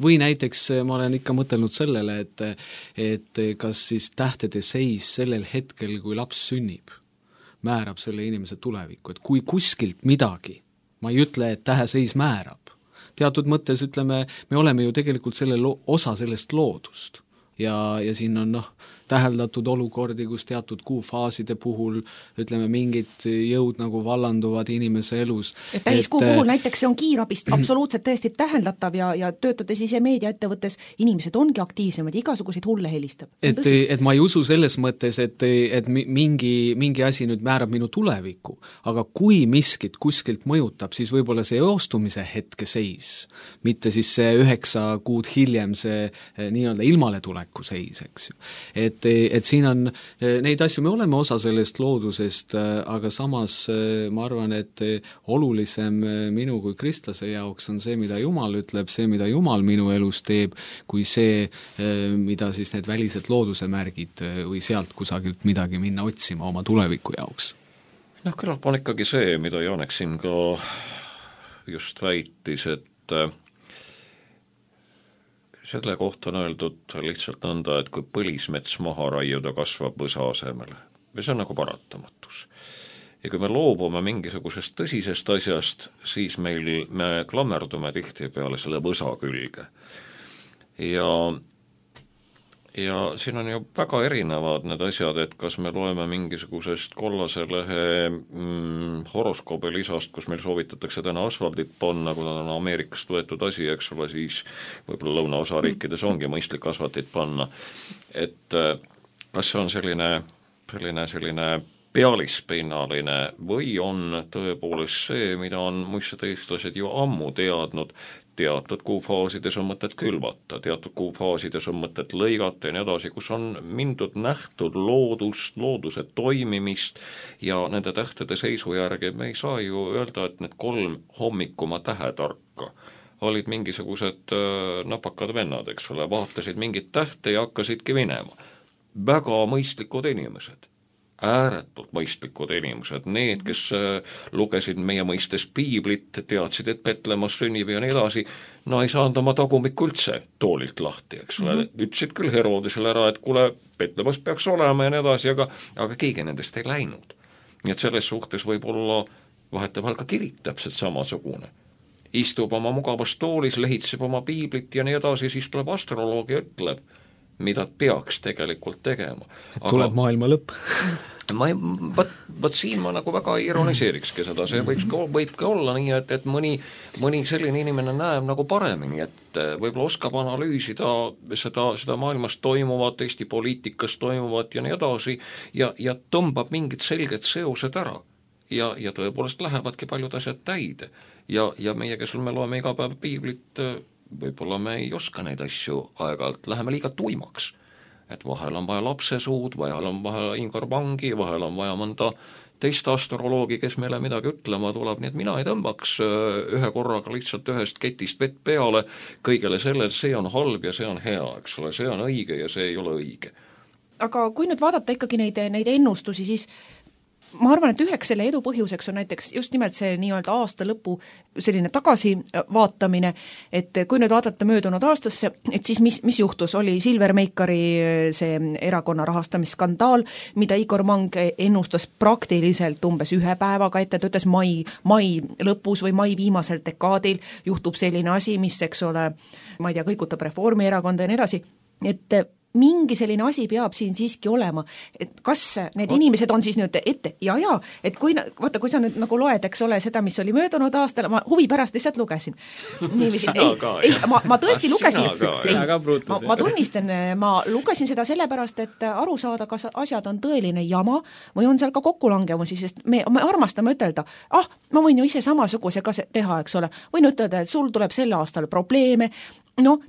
S7: Või näiteks ma olen ikka mõtelnud sellele, et kas siis tähtede seis sellel hetkel, kui laps sünnib, määrab selle inimese tulevikku, et kui kuskilt midagi, ma ei ütle, et täheseis määrab, teatud mõttes ütleme, me oleme ju tegelikult osa sellest loodust ja siin on täheldatud olukordi, kus teatud kuufaaside puhul ütleme, mingid jõud nagu vallanduvad inimese elus.
S6: Et täiskuu puhul näiteks see on kiirabist absoluutselt tõesti täheldatav ja töötades ise meediaettevõttes, inimesed ongi aktiivsemad, igasuguseid hulle helistab.
S7: Et ma ei usu selles mõttes, et mingi asi nüüd määrab minu tulevikku, aga kui miskit kuskilt mõjutab, siis võib-olla see eostumise hetke seis, mitte siis see 9 kuud hiljem see nii-öelda ilmaletulek seis, eks ju. Et siin on neid asju, me oleme osa sellest loodusest, aga samas ma arvan, et olulisem minu kui kristlase jaoks on see, mida Jumal ütleb, see, mida Jumal minu elus teeb, kui see, mida siis need välised looduse märgid või sealt kusagilt midagi minna otsima oma tuleviku jaoks.
S8: Küllap on ikkagi see, mida Janek siin ka just väitis, et selle kohta on öeldud lihtsalt nõnda, et kui põlismets maha raiuda, kasvab võsa asemele. Ja see on nagu paratamatus. Ja kui me loobume mingisugusest tõsisest asjast, siis me klammerdume tihti peale selle võsa külge. Ja siin on ju väga erinevad need asjad, et kas me loeme mingisugusest kollase lehe horoskoobi lisast, kus meil soovitatakse täna asfaldit panna, kui on Ameerikast võetud asi, eks ole, siis võib-olla lõunaosariikides ongi mõistlik asfaltit panna. Et kas see on selline pealispinnaline või on tõepoolest see, mida on muistsed eestlased ju ammu teadnud, teatud kuufaasides on mõtet külvata, teatud kuufaasides on mõtet lõigata ja nii edasi, kus on mindud nähtud loodust, looduse toimimist ja nende tähtede seisu järgi me ei saa ju öelda, et need 3 hommikuma tähetarka olid mingisugused napakad vennad, eks ole, vaatasid mingit tähte ja hakkasidki minema. Väga mõistlikud inimesed, ääretult mõistlikud inimesed, need, kes lugesid meie mõistes piiblit, teadsid, et Petlemmas sünnib ja nii edasi, no ei saanud oma tagumikku üldse toolilt lahti, eks ole, ütlesid küll Herodesele ära, et kuule, Petlemmas peaks olema ja nii edasi, aga keegi nendest ei läinud. Nii et selles suhtes võib olla vahetevahel ka kirik täpselt samasugune. Istub oma mugavas toolis, lehitseb oma piiblit ja nii edasi, siis tuleb astroloog ja ütleb, mida peaks tegelikult tegema.
S7: Tuleb maailma lõpp.
S8: Võt siin ma nagu väga ironiseerikski seda, see võibki olla nii, et mõni selline inimene näeb nagu paremini, et võib-olla oskab analüüsida seda maailmas toimuvat, Eesti poliitikas toimuvat ja nii edasi ja tõmbab mingid selged seosed ära. Ja tõepoolest lähevadki paljud asjad täide. Ja meie, kes me loeme iga päev piiblit, võib-olla me ei oska neid asju aeg-ajalt, läheme liiga tuimaks. Et vahel on vaja lapsesuud, vahel on vaja Ingvar Vangi, vahel on vaja mõnda teist astroloogi, kes meile midagi ütlema tuleb, nii et mina ei tõmbaks ühe korraga lihtsalt ühest ketist vett peale kõigele selle, see on halb ja see on hea, eks ole, see on õige ja see ei ole õige.
S6: Aga kui nüüd vaadata ikkagi neid ennustusi, siis ma arvan, et üheks selle edu põhjuseks on näiteks just nimelt see nii-öelda aasta lõpu selline tagasivaatamine, et kui nüüd vaadata möödunud aastasse, et siis mis juhtus, oli Silver Meikari see erakonna rahastamisskandaal, mida Igor Mang ennustas praktiliselt umbes 1 päevaga ette, ta ütles mai lõpus või mai viimasel dekaadil juhtub selline asi, mis, eks ole, ma ei tea, kõigutab Reformierakonda ja nii edasi, et mingi selline asi peab siin siiski olema, et kas need inimesed on siis nüüd ette ja, et kui sa nüüd nagu loed, eks ole, seda, mis oli möödunud aastal, ma huvi pärast lihtsalt lugesin. Ma tõesti lugesin, ma tunnistan, ma lugesin seda sellepärast, et aru saada, kas asjad on tõeline jama või on seal ka kokkulangemusi, sest me armastame ütelda, ma võin ju ise samasuguse ka teha, eks ole, võin ütelda, et sul tuleb sel aastal probleeme,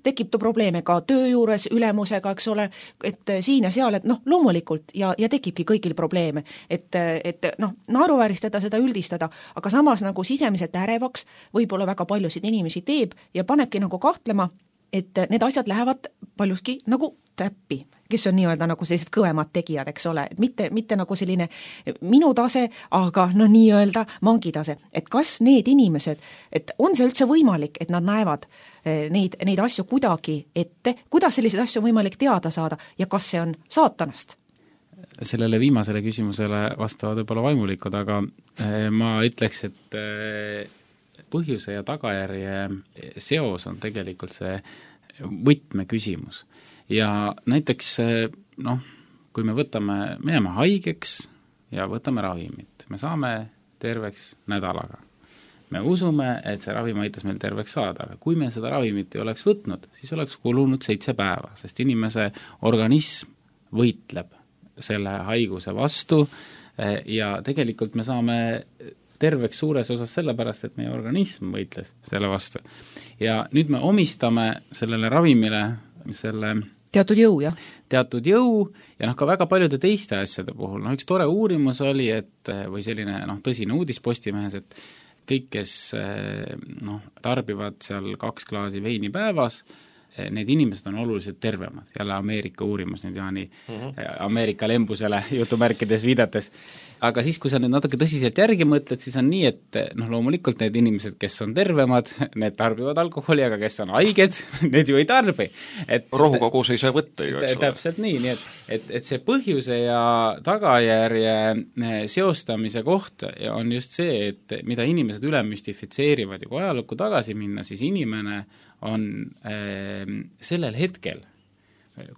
S6: tekib probleeme ka töö juures, ülemusega, eks ole, et siin ja seal, et loomulikult ja tekibki kõigil probleeme, et naeruvääristada seda üldistada, aga samas nagu sisemiselt ärevaks võib-olla väga paljusid inimesi teeb ja panebki nagu kahtlema, et need asjad lähevad paljuski nagu täppi, kes on nii-öelda nagu sellised kõvemad tegijad, eks ole, et mitte nagu selline minu tase, aga nii-öelda mangi tase, et kas need inimesed, et on see üldse võimalik, et nad näevad neid asju kuidagi ette, kuidas selliseid asju on võimalik teada saada ja kas see on saatanast?
S9: Sellele viimasele küsimusele vastavad võib-olla vaimulikud, aga ma ütleks, et põhjuse ja tagajärje seos on tegelikult see võtmeküsimus. Ja näiteks, kui me jääme haigeks ja võtame ravimit, me saame terveks nädalaga. Me usume, et see ravim aitas meil terveks saada, aga kui me seda ravimit ei oleks võtnud, siis oleks kulunud 7 päeva, sest inimese organism võitleb selle haiguse vastu ja tegelikult me saame terveks suures osas sellepärast, et meie organism võitles selle vastu. Ja nüüd me omistame sellele ravimile selle
S6: teatud jõu, jah?
S9: Teatud jõu ja ka väga paljude teiste asjade puhul. Üks tore uurimus oli, või selline tõsine uudis Postimehes, et kõik, kes tarbivad seal 2 klaasi veini päevas, need inimesed on oluliselt tervemad. Jälle Ameerika uurimus nüüd Jaani Ameerika lembusele jutumärkides viidates. Aga siis, kui sa nüüd natuke tõsiselt järgi mõtled, siis on nii, et loomulikult need inimesed, kes on tervemad, need tarbivad alkoholi, aga kes on haiged, need ju ei tarbi.
S8: Rohukogus ei saa võtta ju, eks ole.
S9: Täpselt nii, et see põhjuse ja tagajärje seostamise koht on just see, et mida inimesed üle müstifitseerivad ja kui ajalukku tagasi minna, siis inimene on sellel hetkel,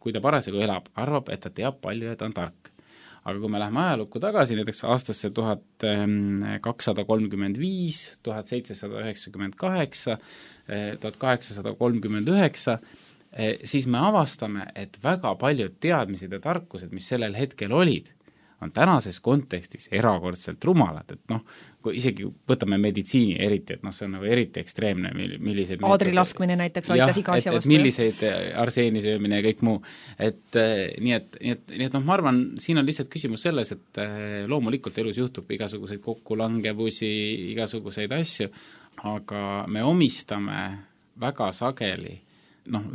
S9: kui ta parasjagu elab, arvab, et ta teab palju ja ta on tark. Aga kui me läheme ajalukku tagasi, näiteks aastasse 1235, 1798, 1839, siis me avastame, et väga paljud teadmised ja tarkused, mis sellel hetkel olid, on tänases kontekstis erakordselt rumalad, et noh, kui isegi võtame meditsiini eriti, et noh, see on nagu eriti ekstreemne, milliseid
S6: aadrilaskmine näiteks aitas iga asja vastu.
S9: Milliseid arseeni söömine ja kõik muu. Et nii et noh, ma arvan, siin on lihtsalt küsimus selles, et loomulikult elus juhtub igasuguseid kokkulangevusi, igasuguseid asju, aga me omistame väga sageli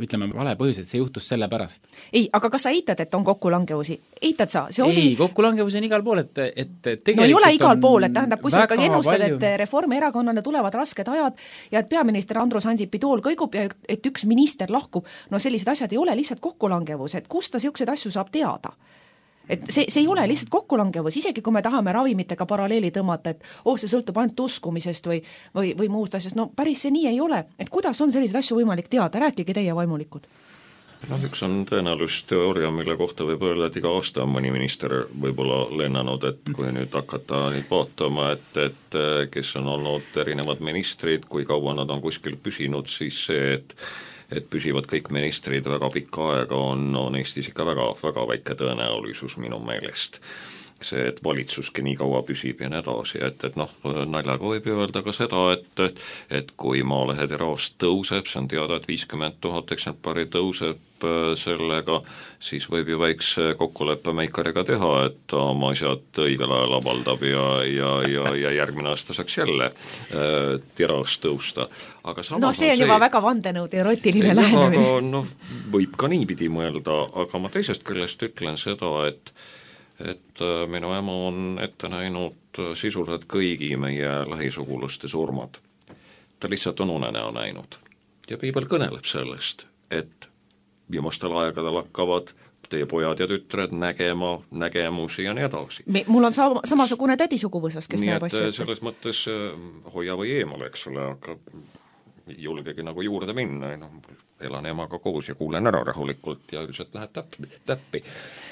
S9: ütleme vale põhjus, et see juhtus selle pärast.
S6: Ei, aga kas sa eitad, et on kokkulangevusi? Eitad sa? See oli...
S9: Ei, kokkulangevusi on igal pool, et tegelikult
S6: no ei ole igal pool, et tähendab, kui sa ikkagi ennustad, et Reformierakonnale tulevad rasked ajad ja et peaminister Andrus Ansipi tool kõigub ja et üks minister lahkub, no sellised asjad ei ole lihtsalt kokkulangevus, et kust ta siukseid asju saab teada? Et see ei ole lihtsalt kokkulangevus, isegi kui me tahame ravimitega paralleeli tõmmata, et see sõltub ainult uskumisest või muust asjast, no päris see nii ei ole. Et kuidas on selliseid asju võimalik teada? Rääkige teie vaimulikud.
S8: Üks on tõenäosusteooria, mille kohta võib öelda, et iga aasta on mõni minister võib-olla lennanud, et kui nüüd hakata nüüd vaatama, et kes on olnud erinevad ministrid, kui kaua nad on kuskil püsinud, siis see, et püsivad kõik ministrid väga pikka aega, on Eestis ikka väga, väga väike tõenäolisus minu meelest. See, et valitsuski nii kaua püsib ja nii edasi, et naljaga võib öelda ka seda, et kui Maalehe tiraas tõuseb, see on teada, et 50 000 eksemplari tõuseb sellega, siis võib ju väikse kokkuleppe Meikariga teha, et ta oma asjad õigel ajal avaldab ja järgmine aasta saaks jälle tiraas tõusta. Aga
S6: see on juba väga vandenõud erotiline lähenemine.
S8: Aga võib ka niipidi mõelda, aga ma teisest küljest ütlen seda, et minu ema on ette näinud sisuliselt kõigi meie lähisugulaste surmad. Ta lihtsalt on unenäo näinud. Ja piibel kõneleb sellest, et viimastel aegadel hakkavad teie pojad ja tütred nägema nägemusi ja nii edasi.
S6: Mul on samasugune tädisuguvõsas, kes näeb asju.
S8: Nii et selles mõttes hoia või eemal, eks ole, aga julgegi nagu juurde minna, elan emaga koos ja kuulen ära rahulikult ja üldiselt lähed täppi.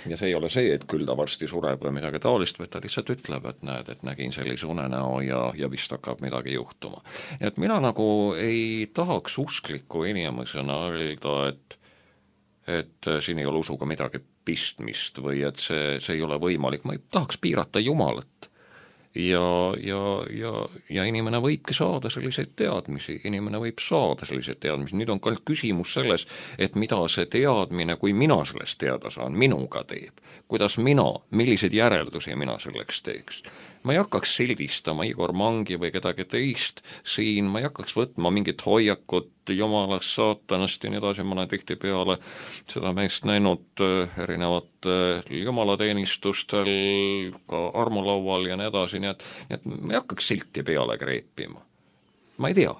S8: Ja see ei ole see, et küll ta varsti sureb või midagi taolist, vaid ta lihtsalt ütleb, et näed, et nägin sellise unenäo ja vist hakkab midagi juhtuma. Et mina nagu ei tahaks uskliku inimesena öelda, et siin ei ole usuga midagi pistmist või et see ei ole võimalik, ma ei tahaks piirata Jumalat. Ja inimene võibki saada selliseid teadmisi, nüüd on ka küsimus selles, et mida see teadmine, kui mina sellest teada saan, minuga teeb, kuidas milliseid järeldusi mina selleks teeks. Ma ei hakkaks sildistama Igor Mangi või kedagi teist siin, ma ei hakkaks võtma mingit hoiakut jumalast, saatanast ja nii edasi, ma olen tihti peale seda meest näinud erinevat jumalateenistustel, ka armulaual ja nii edasi, nii et ma ei hakkaks silti peale kreepima. Ma ei tea.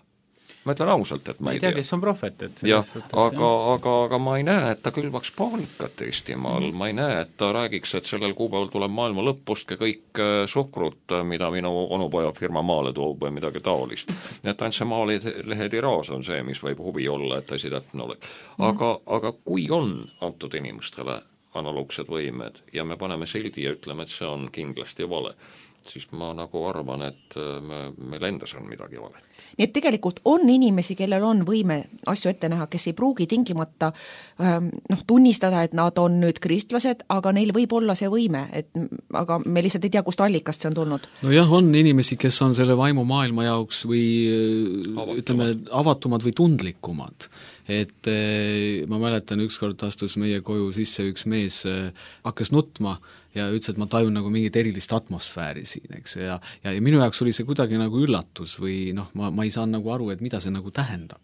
S8: Ma ütlen ausalt, et ma ei tea.
S9: Kes on prohvet, et
S8: aga ma ei näe, et ta külvaks paanikat Eestimaal, ma ei näe, et ta räägiks, et sellel kuupäeval tuleb maailma lõppustke kõik suhkrut, mida minu onupoja firma maale toob või midagi taolist. Et ainult see Maalehe tiraas on see, mis võib huvi olla, et asi täpne oleks. Aga kui on antud inimestele analoogsed võimed ja me paneme sildi ja ütleme, et see on kindlasti vale, siis ma nagu arvan, et meil endas on midagi vale.
S6: Nii et tegelikult on inimesi, kellel on võime asju ette näha, kes ei pruugi tingimata tunnistada, et nad on nüüd kristlased, aga neil võib olla see võime, aga me lihtsalt ei tea, kust allikast see on tulnud.
S7: No jah, on inimesi, kes on selle vaimu maailma jaoks või ütleme, avatumad või tundlikumad. Et ma mäletan, ükskord astus meie koju sisse üks mees, hakkas nutma ja ütles, et ma tajun nagu mingit erilist atmosfääri siin, eks, ja minu jaoks oli see kuidagi nagu üllatus või ma ei saa nagu aru, et mida see nagu tähendab.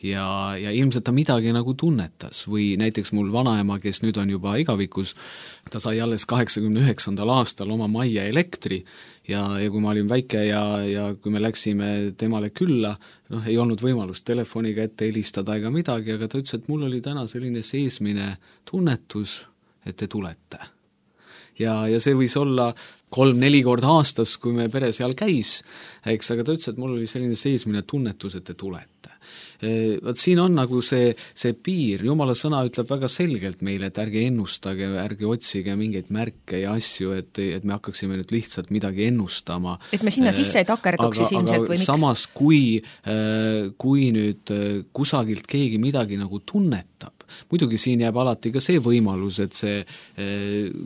S7: Ja ilmselt ta midagi nagu tunnetas või näiteks mul vanaema, kes nüüd on juba igavikus, ta sai alles 89. aastal oma majja elektri ja kui ma olin väike ja kui me läksime temale külla, ei olnud võimalust telefoniga ette helistada ega midagi, aga ta ütles, et mul oli täna selline seesmine tunnetus, et te tulete. ja see võis olla 3-4 korda aastas, kui me pere seal käis, eks, aga ta ütles, et mul oli selline seesmine tunnetus, et te tulete. Vaat siin on nagu see piir, Jumala sõna ütleb väga selgelt meile, et ärge ennustage, ärge otsige mingeid märke ja asju, et me hakkaksime nüüd lihtsalt midagi ennustama.
S6: Et me sinna sisse ei takerduks siis ilmselt või miks?
S7: Samas, kui nüüd kusagilt keegi midagi nagu tunnetab, muidugi siin jääb alati ka see võimalus, et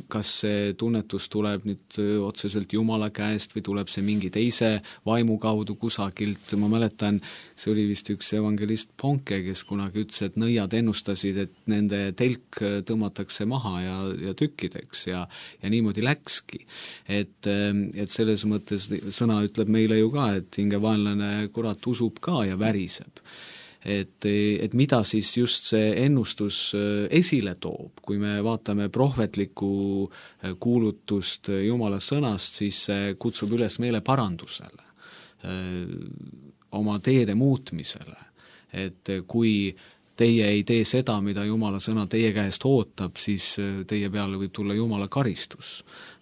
S7: kas see tunnetus tuleb nüüd otseselt Jumala käest või tuleb see mingi teise vaimu kaudu kusagilt. Ma mäletan, see oli vist üks evangelist Ponke, kes kunagi ütles, et nõiad ennustasid, et nende telk tõmmatakse maha ja tükkideks ja niimoodi läkski. Et selles mõttes sõna ütleb meile ju ka, et hingevaenlane kurat usub ka ja väriseb. Et mida siis just see ennustus esile toob, kui me vaatame prohvetlikku kuulutust Jumala sõnast, siis see kutsub üles meile parandusele, oma teede muutmisele, et kui teie ei tee seda, mida Jumala sõna teie käest ootab, siis teie peale võib tulla Jumala karistus.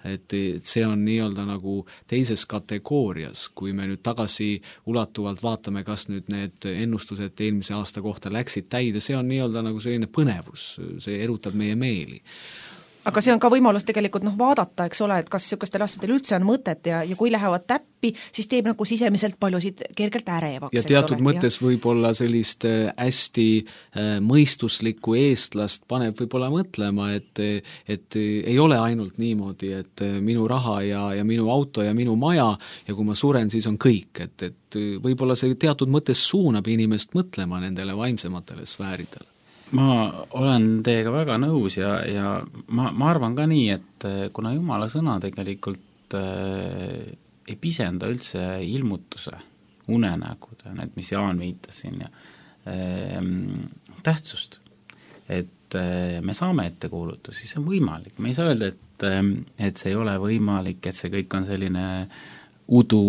S7: Et see on nii-öelda nagu teises kategoorias, kui me nüüd tagasi ulatuvalt vaatame, kas nüüd need ennustused eelmise aasta kohta läksid täide, see on nii-öelda nagu selline põnevus, see erutab meie meeli.
S6: Aga see on ka võimalus tegelikult vaadata, eks ole, et kas niisugustel asjadel üldse on mõtet ja kui lähevad täppi, siis teeb nagu sisemiselt paljusid kergelt ärevaks.
S7: Ja teatud mõttes võib-olla sellist hästi mõistuslikku eestlast paneb võib-olla mõtlema, et ei ole ainult niimoodi, et minu raha ja minu auto ja minu maja ja kui ma suren, siis on kõik, et võib-olla see teatud mõttes suunab inimest mõtlema nendele vaimsematele sfääridele.
S9: Ma olen teiega väga nõus ja ma arvan ka nii, et kuna Jumala sõna tegelikult ei pisenda üldse ilmutuse, unenägude, need, mis Jaan viitas siin, tähtsust, et me saame ettekuulutusi, see on võimalik, me ei saa öelda, et see ei ole võimalik, et see kõik on selline udu,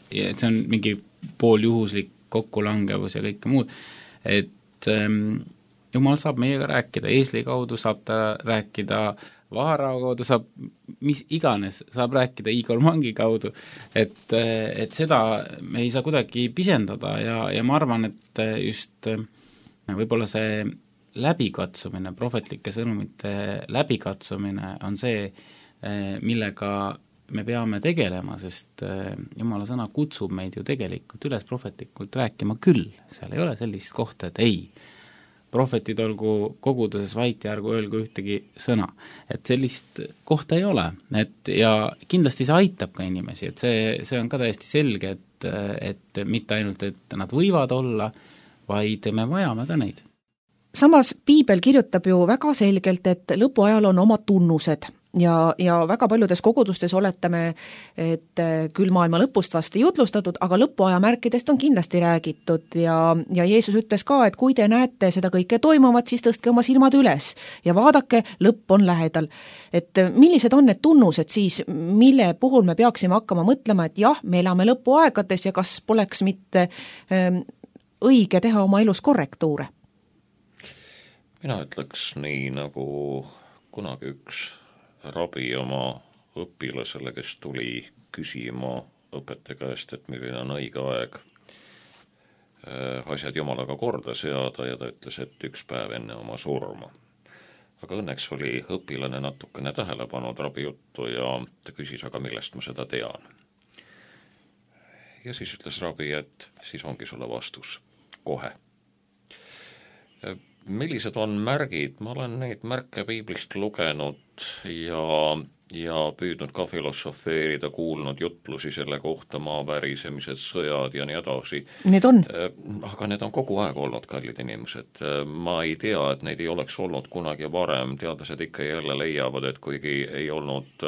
S9: et see on mingi pooljuhuslik kokkulangevus ja kõike muud, et Jumal saab meiega rääkida, eesli kaudu saab ta rääkida, Vaharao kaudu saab, mis iganes, saab rääkida Igor Mangi kaudu, et seda me ei saa kuidagi pisendada ja ma arvan, et just võib-olla see läbikatsumine, prohvetlike sõnumite läbikatsumine on see, millega me peame tegelema, sest Jumala sõna kutsub meid ju tegelikult üles prohvetlikult rääkima küll, seal ei ole sellist kohta, et ei, prohvetid olgu koguduses vait ja ärgu öelgu ühtegi sõna. Et sellist kohta ei ole. Ja kindlasti see aitab ka inimesi, et see on ka täiesti selge, et mitte ainult, et nad võivad olla, vaid me vajame ka neid.
S6: Samas Piibel kirjutab ju väga selgelt, et lõpuajal on oma tunnused ja väga paljudes kogudustes oletame, et küll maailma lõpust vast ei jutlustatud, aga lõpuaja märkidest on kindlasti räägitud ja Jeesus ütles ka, et kui te näete seda kõike toimuvat, siis tõstke oma silmad üles ja vaadake, lõpp on lähedal. Et millised on need tunnused siis, mille puhul me peaksime hakkama mõtlema, et jah, me elame lõpuaegades ja kas poleks mitte õige teha oma elus korrektuure?
S8: Mina ütleks nii, nagu kunagi üks rabi oma õpilasele, kes tuli küsima õpetaja käest, et milline on õige aeg asjad Jumalaga korda seada ja ta ütles, et üks päev enne oma surma. Aga õnneks oli õpilane natukene tähele pannud rabi juttu ja ta küsis, aga millest ma seda tean. Ja siis ütles rabi, et siis ongi sulle vastus kohe. Millised on märgid? Ma olen neid märke Piiblist lugenud ja püüdnud ka filosofeerida, kuulnud jutlusi selle kohta, maavärisemised, sõjad ja nii edasi.
S6: Need on?
S8: Aga need on kogu aeg olnud, kallid inimesed. Ma ei tea, et neid ei oleks olnud kunagi varem. Teadlased ikka jälle leiavad, et kuigi ei olnud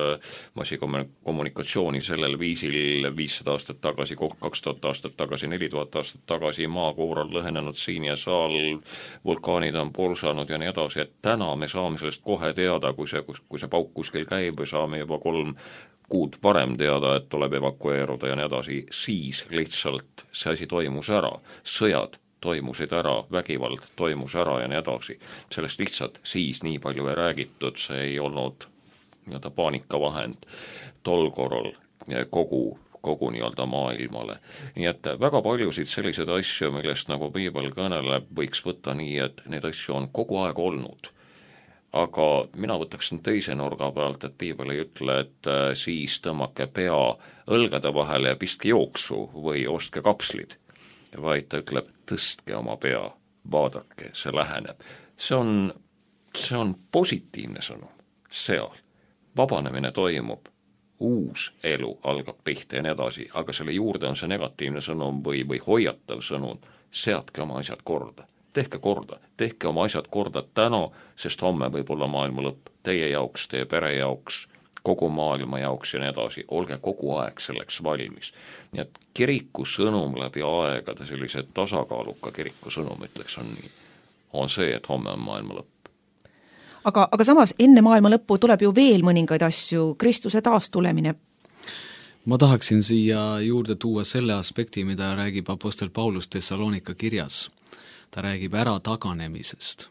S8: massikommunikatsiooni sellel viisil 500 aastat tagasi, 2000 aastat tagasi, 4000 aastat tagasi, maakoor on lõhenenud siin ja saal, vulkaanid on pulsanud ja nii edasi, et täna me saame sellest kohe teada, kui see pauk kuskil käib või saame juba 3 kuud varem teada, et tuleb evakueeruda ja nii edasi, siis lihtsalt see asi toimus ära, sõjad toimusid ära, vägivald toimus ära ja nii edasi. Sellest lihtsalt siis nii palju ei räägitud, see ei olnud nii-öelda paanikavahend tol korral kogu nii-öelda maailmale. Nii et väga paljusid selliseid asju, millest nagu piibel kõneleb, võiks võtta nii, et neid asju on kogu aeg olnud. Aga mina võtaksin teise nurga pealt, et piibel ei ütle, et siis tõmmake pea õlgade vahele ja pistke jooksu või ostke kapslid, vaid ta ütleb, tõstke oma pea, vaadake, see läheneb. See on positiivne sõnum seal. Vabanemine toimub, uus elu algab pihta ja nii edasi, aga selle juurde on see negatiivne sõnum või hoiatav sõnum, seadke oma asjad korda. Tehke oma asjad korda täna, sest homme võib olla maailma lõpp. Teie jaoks, teie pere jaoks, kogu maailma jaoks ja nii edasi. Olge kogu aeg selleks valmis. Nii et kiriku sõnum läbi aegade, sellise tasakaaluka kiriku sõnum, ütleks on see, et homme on maailma lõpp.
S6: Aga samas enne maailma lõppu tuleb ju veel mõningaid asju, Kristuse taastulemine.
S7: Ma tahaksin siia juurde tuua selle aspekti, mida räägib apostel Paulus Thessalonika kirjas. Ta räägib ära taganemisest.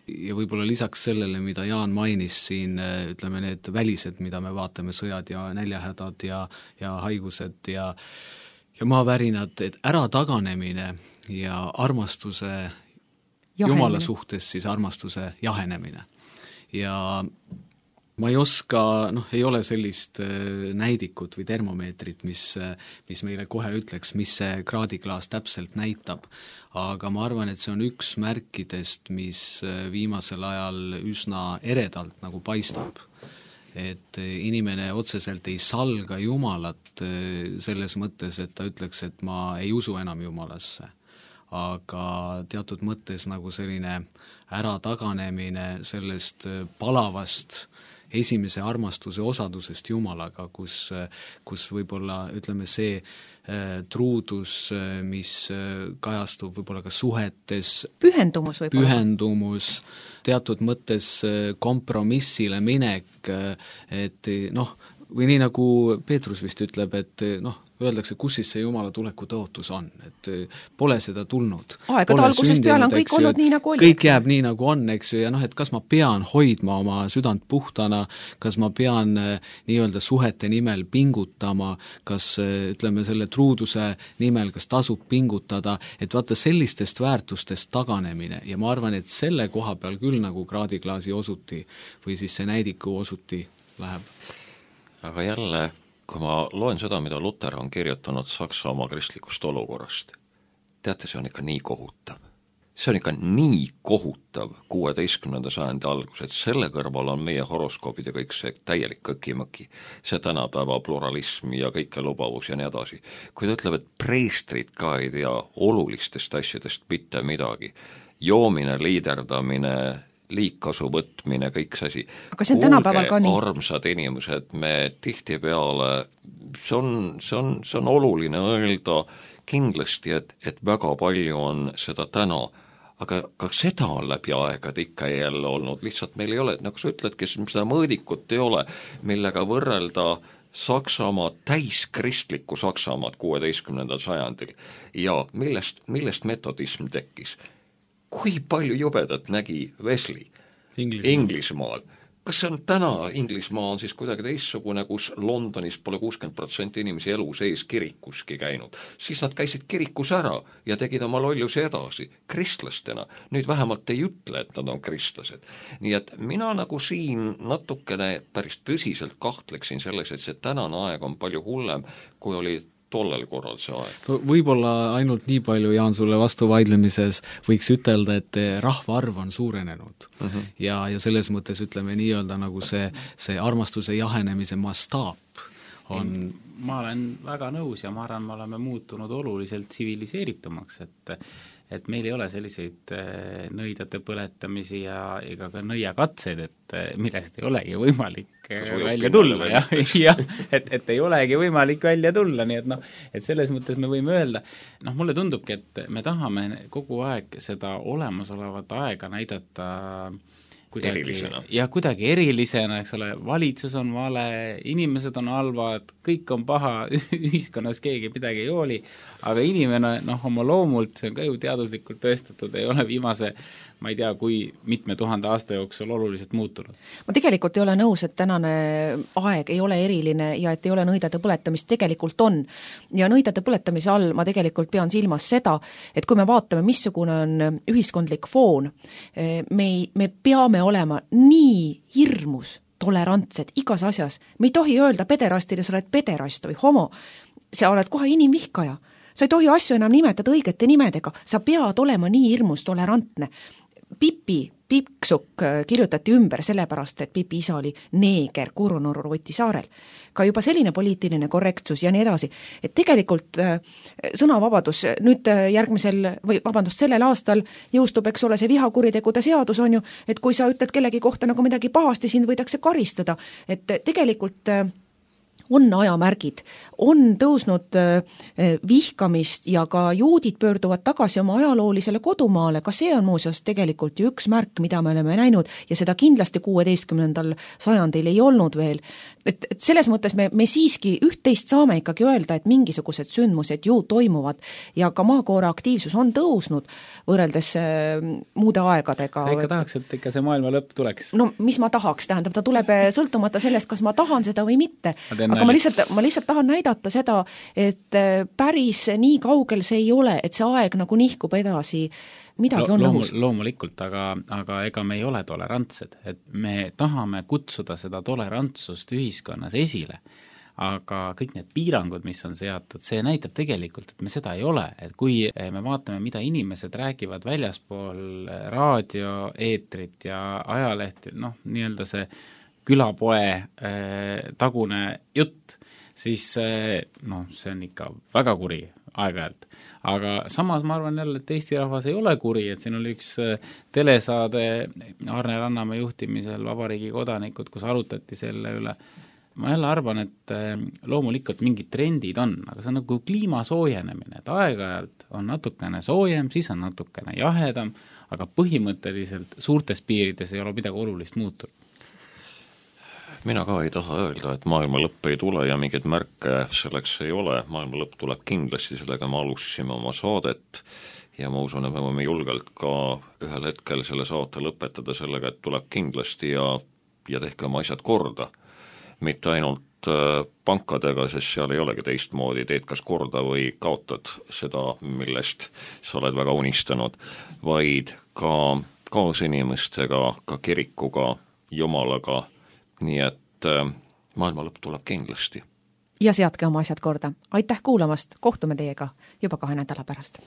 S7: Ja võib-olla lisaks sellele, mida Jaan mainis siin, ütleme need välised, mida me vaatame, sõjad ja näljahädad ja haigused ja maavärinad, et ära taganemine ja armastuse Jumala suhtes siis armastuse jahenemine. Ja ma ei oska, ei ole sellist näidikut või termomeetrit, mis meile kohe ütleks, mis see kraadiklaas täpselt näitab, aga ma arvan, et see on üks märkidest, mis viimasel ajal üsna eredalt nagu paistab. Et inimene otseselt ei salga Jumalat selles mõttes, et ta ütleks, et ma ei usu enam Jumalasse, aga teatud mõttes nagu selline ärataganemine sellest palavast esimese armastuse osadusest Jumalaga, kus võib-olla ütleme see truudus, mis kajastub võib-olla ka suhetes, pühendumus, teatud mõttes kompromissile minek, et või nii nagu Peetrus vist ütleb, et öeldakse, kus siis see Jumala tuleku tõotus on, et pole seda tulnud.
S6: Aegade algusest peale on kõik olnud nii, nagu oli.
S7: Kõik jääb nii, nagu on, eks ju, ja et kas ma pean hoidma oma südant puhtana, kas ma pean nii-öelda suhete nimel pingutama, kas ütleme selle truuduse nimel, kas tasub pingutada, et vaata sellistest väärtustest taganemine ja ma arvan, et selle koha peal küll nagu kraadiklaasi osuti või siis see näidiku osuti läheb.
S8: Aga jälle, kui ma loen seda, mida Luter on kirjutanud Saksamaa kristlikust olukorrast, teate, see on ikka nii kohutav. See on ikka nii kohutav 16. sajandi algus, et selle kõrval on meie horoskoobid ja kõik see täielik kõkimõki, see tänapäeva pluralism ja kõike lubavus ja nii edasi. Kui ta ütleb, et preestrid ka ei tea olulistest asjadest mitte midagi, joomine, liiderdamine, liigkasu võtmine, kõik see asi.
S6: Aga see on tänapäeval ka nii.
S8: Armsad inimesed, me tihtipeale, see on oluline öelda kindlasti, et väga palju on seda täna, aga seda on läbi aegade ikka jälle olnud, lihtsalt meil ei ole, nagu sa ütledki, seda mõõdikut ei ole, millega võrrelda Saksamaa, täiskristlikku Saksamaad 16. sajandil ja millest metodism tekkis. Kui palju jubedat nägi Wesley Inglismaal? Kas see on täna, Inglismaa on siis kuidagi teissugune, kus Londonis pole 60% inimesi elu sees kirikuski käinud, siis nad käisid kirikus ära ja tegid oma lollusi edasi, kristlastena. Nüüd vähemalt ei ütle, et nad on kristlased. Nii et mina nagu siin natukene päris tõsiselt kahtleksin selles, et see tänane aeg on palju hullem, kui oli tollel korral see aeg.
S7: Võib-olla ainult nii palju, Jaan, sulle vastu vaidlemises võiks ütelda, et rahvaarv on suurenenud ja selles mõttes ütleme nii-öelda nagu see armastuse jahenemise mastaap on...
S9: Ma olen väga nõus ja ma arvan, me oleme muutunud oluliselt tsiviliseeritumaks, et meil ei ole selliseid nõidade põletamisi ja ega ka nõiakatseid, et millest ei olegi võimalik välja tulla, et ei olegi võimalik välja tulla, nii et selles mõttes me võime öelda, mulle tundubki, et me tahame kogu aeg seda olemasolevat aega näidata kuidagi erilisena, eks ole, valitsus on vale, inimesed on halvad, kõik on paha, ühiskonnas keegi midagi ei hooli, aga inimene, oma loomult, see on ka ju teaduslikult tõestatud, ei ole viimase ma ei tea, kui mitme 1000 aasta jooksul oluliselt muutunud.
S6: Ma tegelikult ei ole nõus, et tänane aeg ei ole eriline ja et ei ole nõidade põletamist, tegelikult on. Ja nõidade põletamise all ma tegelikult pean silmas seda, et kui me vaatame, missugune on ühiskondlik foon, me peame olema nii hirmus tolerantsed igas asjas. Me ei tohi öelda pederastile, sa oled pederast või homo, sa oled kohe inimvihkaja. Sa ei tohi asju enam nimetada õigete nimedega, sa pead olema nii hirmus tolerantne. Piksuk kirjutati ümber sellepärast, et Pipi isa oli neeger Kurunurru-Võti saarel. Ka juba selline poliitiline korrektsus ja nii edasi. Et tegelikult sõnavabadus nüüd sellel aastal jõustub, eks ole, see vihakuritegude seadus on ju, et kui sa ütled kellegi kohta nagu midagi pahasti, sind võidakse karistada. Et tegelikult on ajamärgid, on tõusnud vihkamist ja ka juudid pöörduvad tagasi oma ajaloolisele kodumaale, ka see on muuseas tegelikult ju üks märk, mida me oleme näinud ja seda kindlasti 16. sajandil ei olnud veel. Et selles mõttes me siiski üht-teist saame ikkagi öelda, et mingisugused sündmused ju toimuvad ja ka maakoore aktiivsus on tõusnud võrreldes muude aegadega.
S9: Sa ikka tahaks, et ikka see maailma lõpp tuleks?
S6: No mis ma tahaks, tähendab, ta tuleb sõltumata sellest, kas ma tahan seda või mitte. Aga ma lihtsalt tahan näidata seda, et päris nii kaugel see ei ole, et see aeg nagu nihkub edasi, midagi on õhus.
S9: Loomulikult, aga ega me ei ole tolerantsed, et me tahame kutsuda seda tolerantsust ühiskonnas esile, aga kõik need piirangud, mis on seatud, see näitab tegelikult, et me seda ei ole, et kui me vaatame, mida inimesed räägivad väljaspool raadioeetrit ja ajalehti, nii-öelda see külapoe tagune jutt, siis see on ikka väga kuri aeg-ajalt. Aga samas ma arvan jälle, et Eesti rahvas ei ole kuri, et siin oli üks telesaade Arne Rannamäe juhtimisel Vabariigi kodanikud, kus arutati selle üle. Ma jälle arvan, et loomulikult mingid trendid on, aga see on nagu kliima soojenemine, et aeg-ajalt on natukene soojem, siis on natukene jahedam, aga põhimõtteliselt suurtes piirides ei ole midagi olulist muutunud.
S8: Mina ka ei taha öelda, et maailma lõpp ei tule ja mingeid märke selleks ei ole, maailma lõpp tuleb kindlasti, sellega me alustasime oma saadet ja ma usun, et me võime julgelt ka ühel hetkel selle saate lõpetada sellega, et tuleb kindlasti ja tehke oma asjad korda. Mitte ainult pankadega, sest seal ei olegi teistmoodi, teed kas korda või kaotad seda, millest sa oled väga unistanud, vaid ka kaasinimestega, ka kirikuga, Jumalaga, nii et maailma lõpp tuleb kindlasti.
S6: Ja seadke oma asjad korda. Aitäh kuulamast, kohtume teiega juba 2 nädala pärast.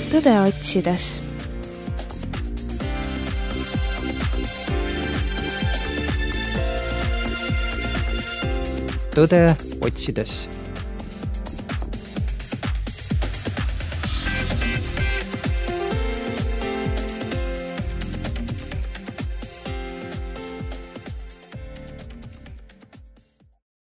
S2: tõde otsides.
S3: Tõde otsides.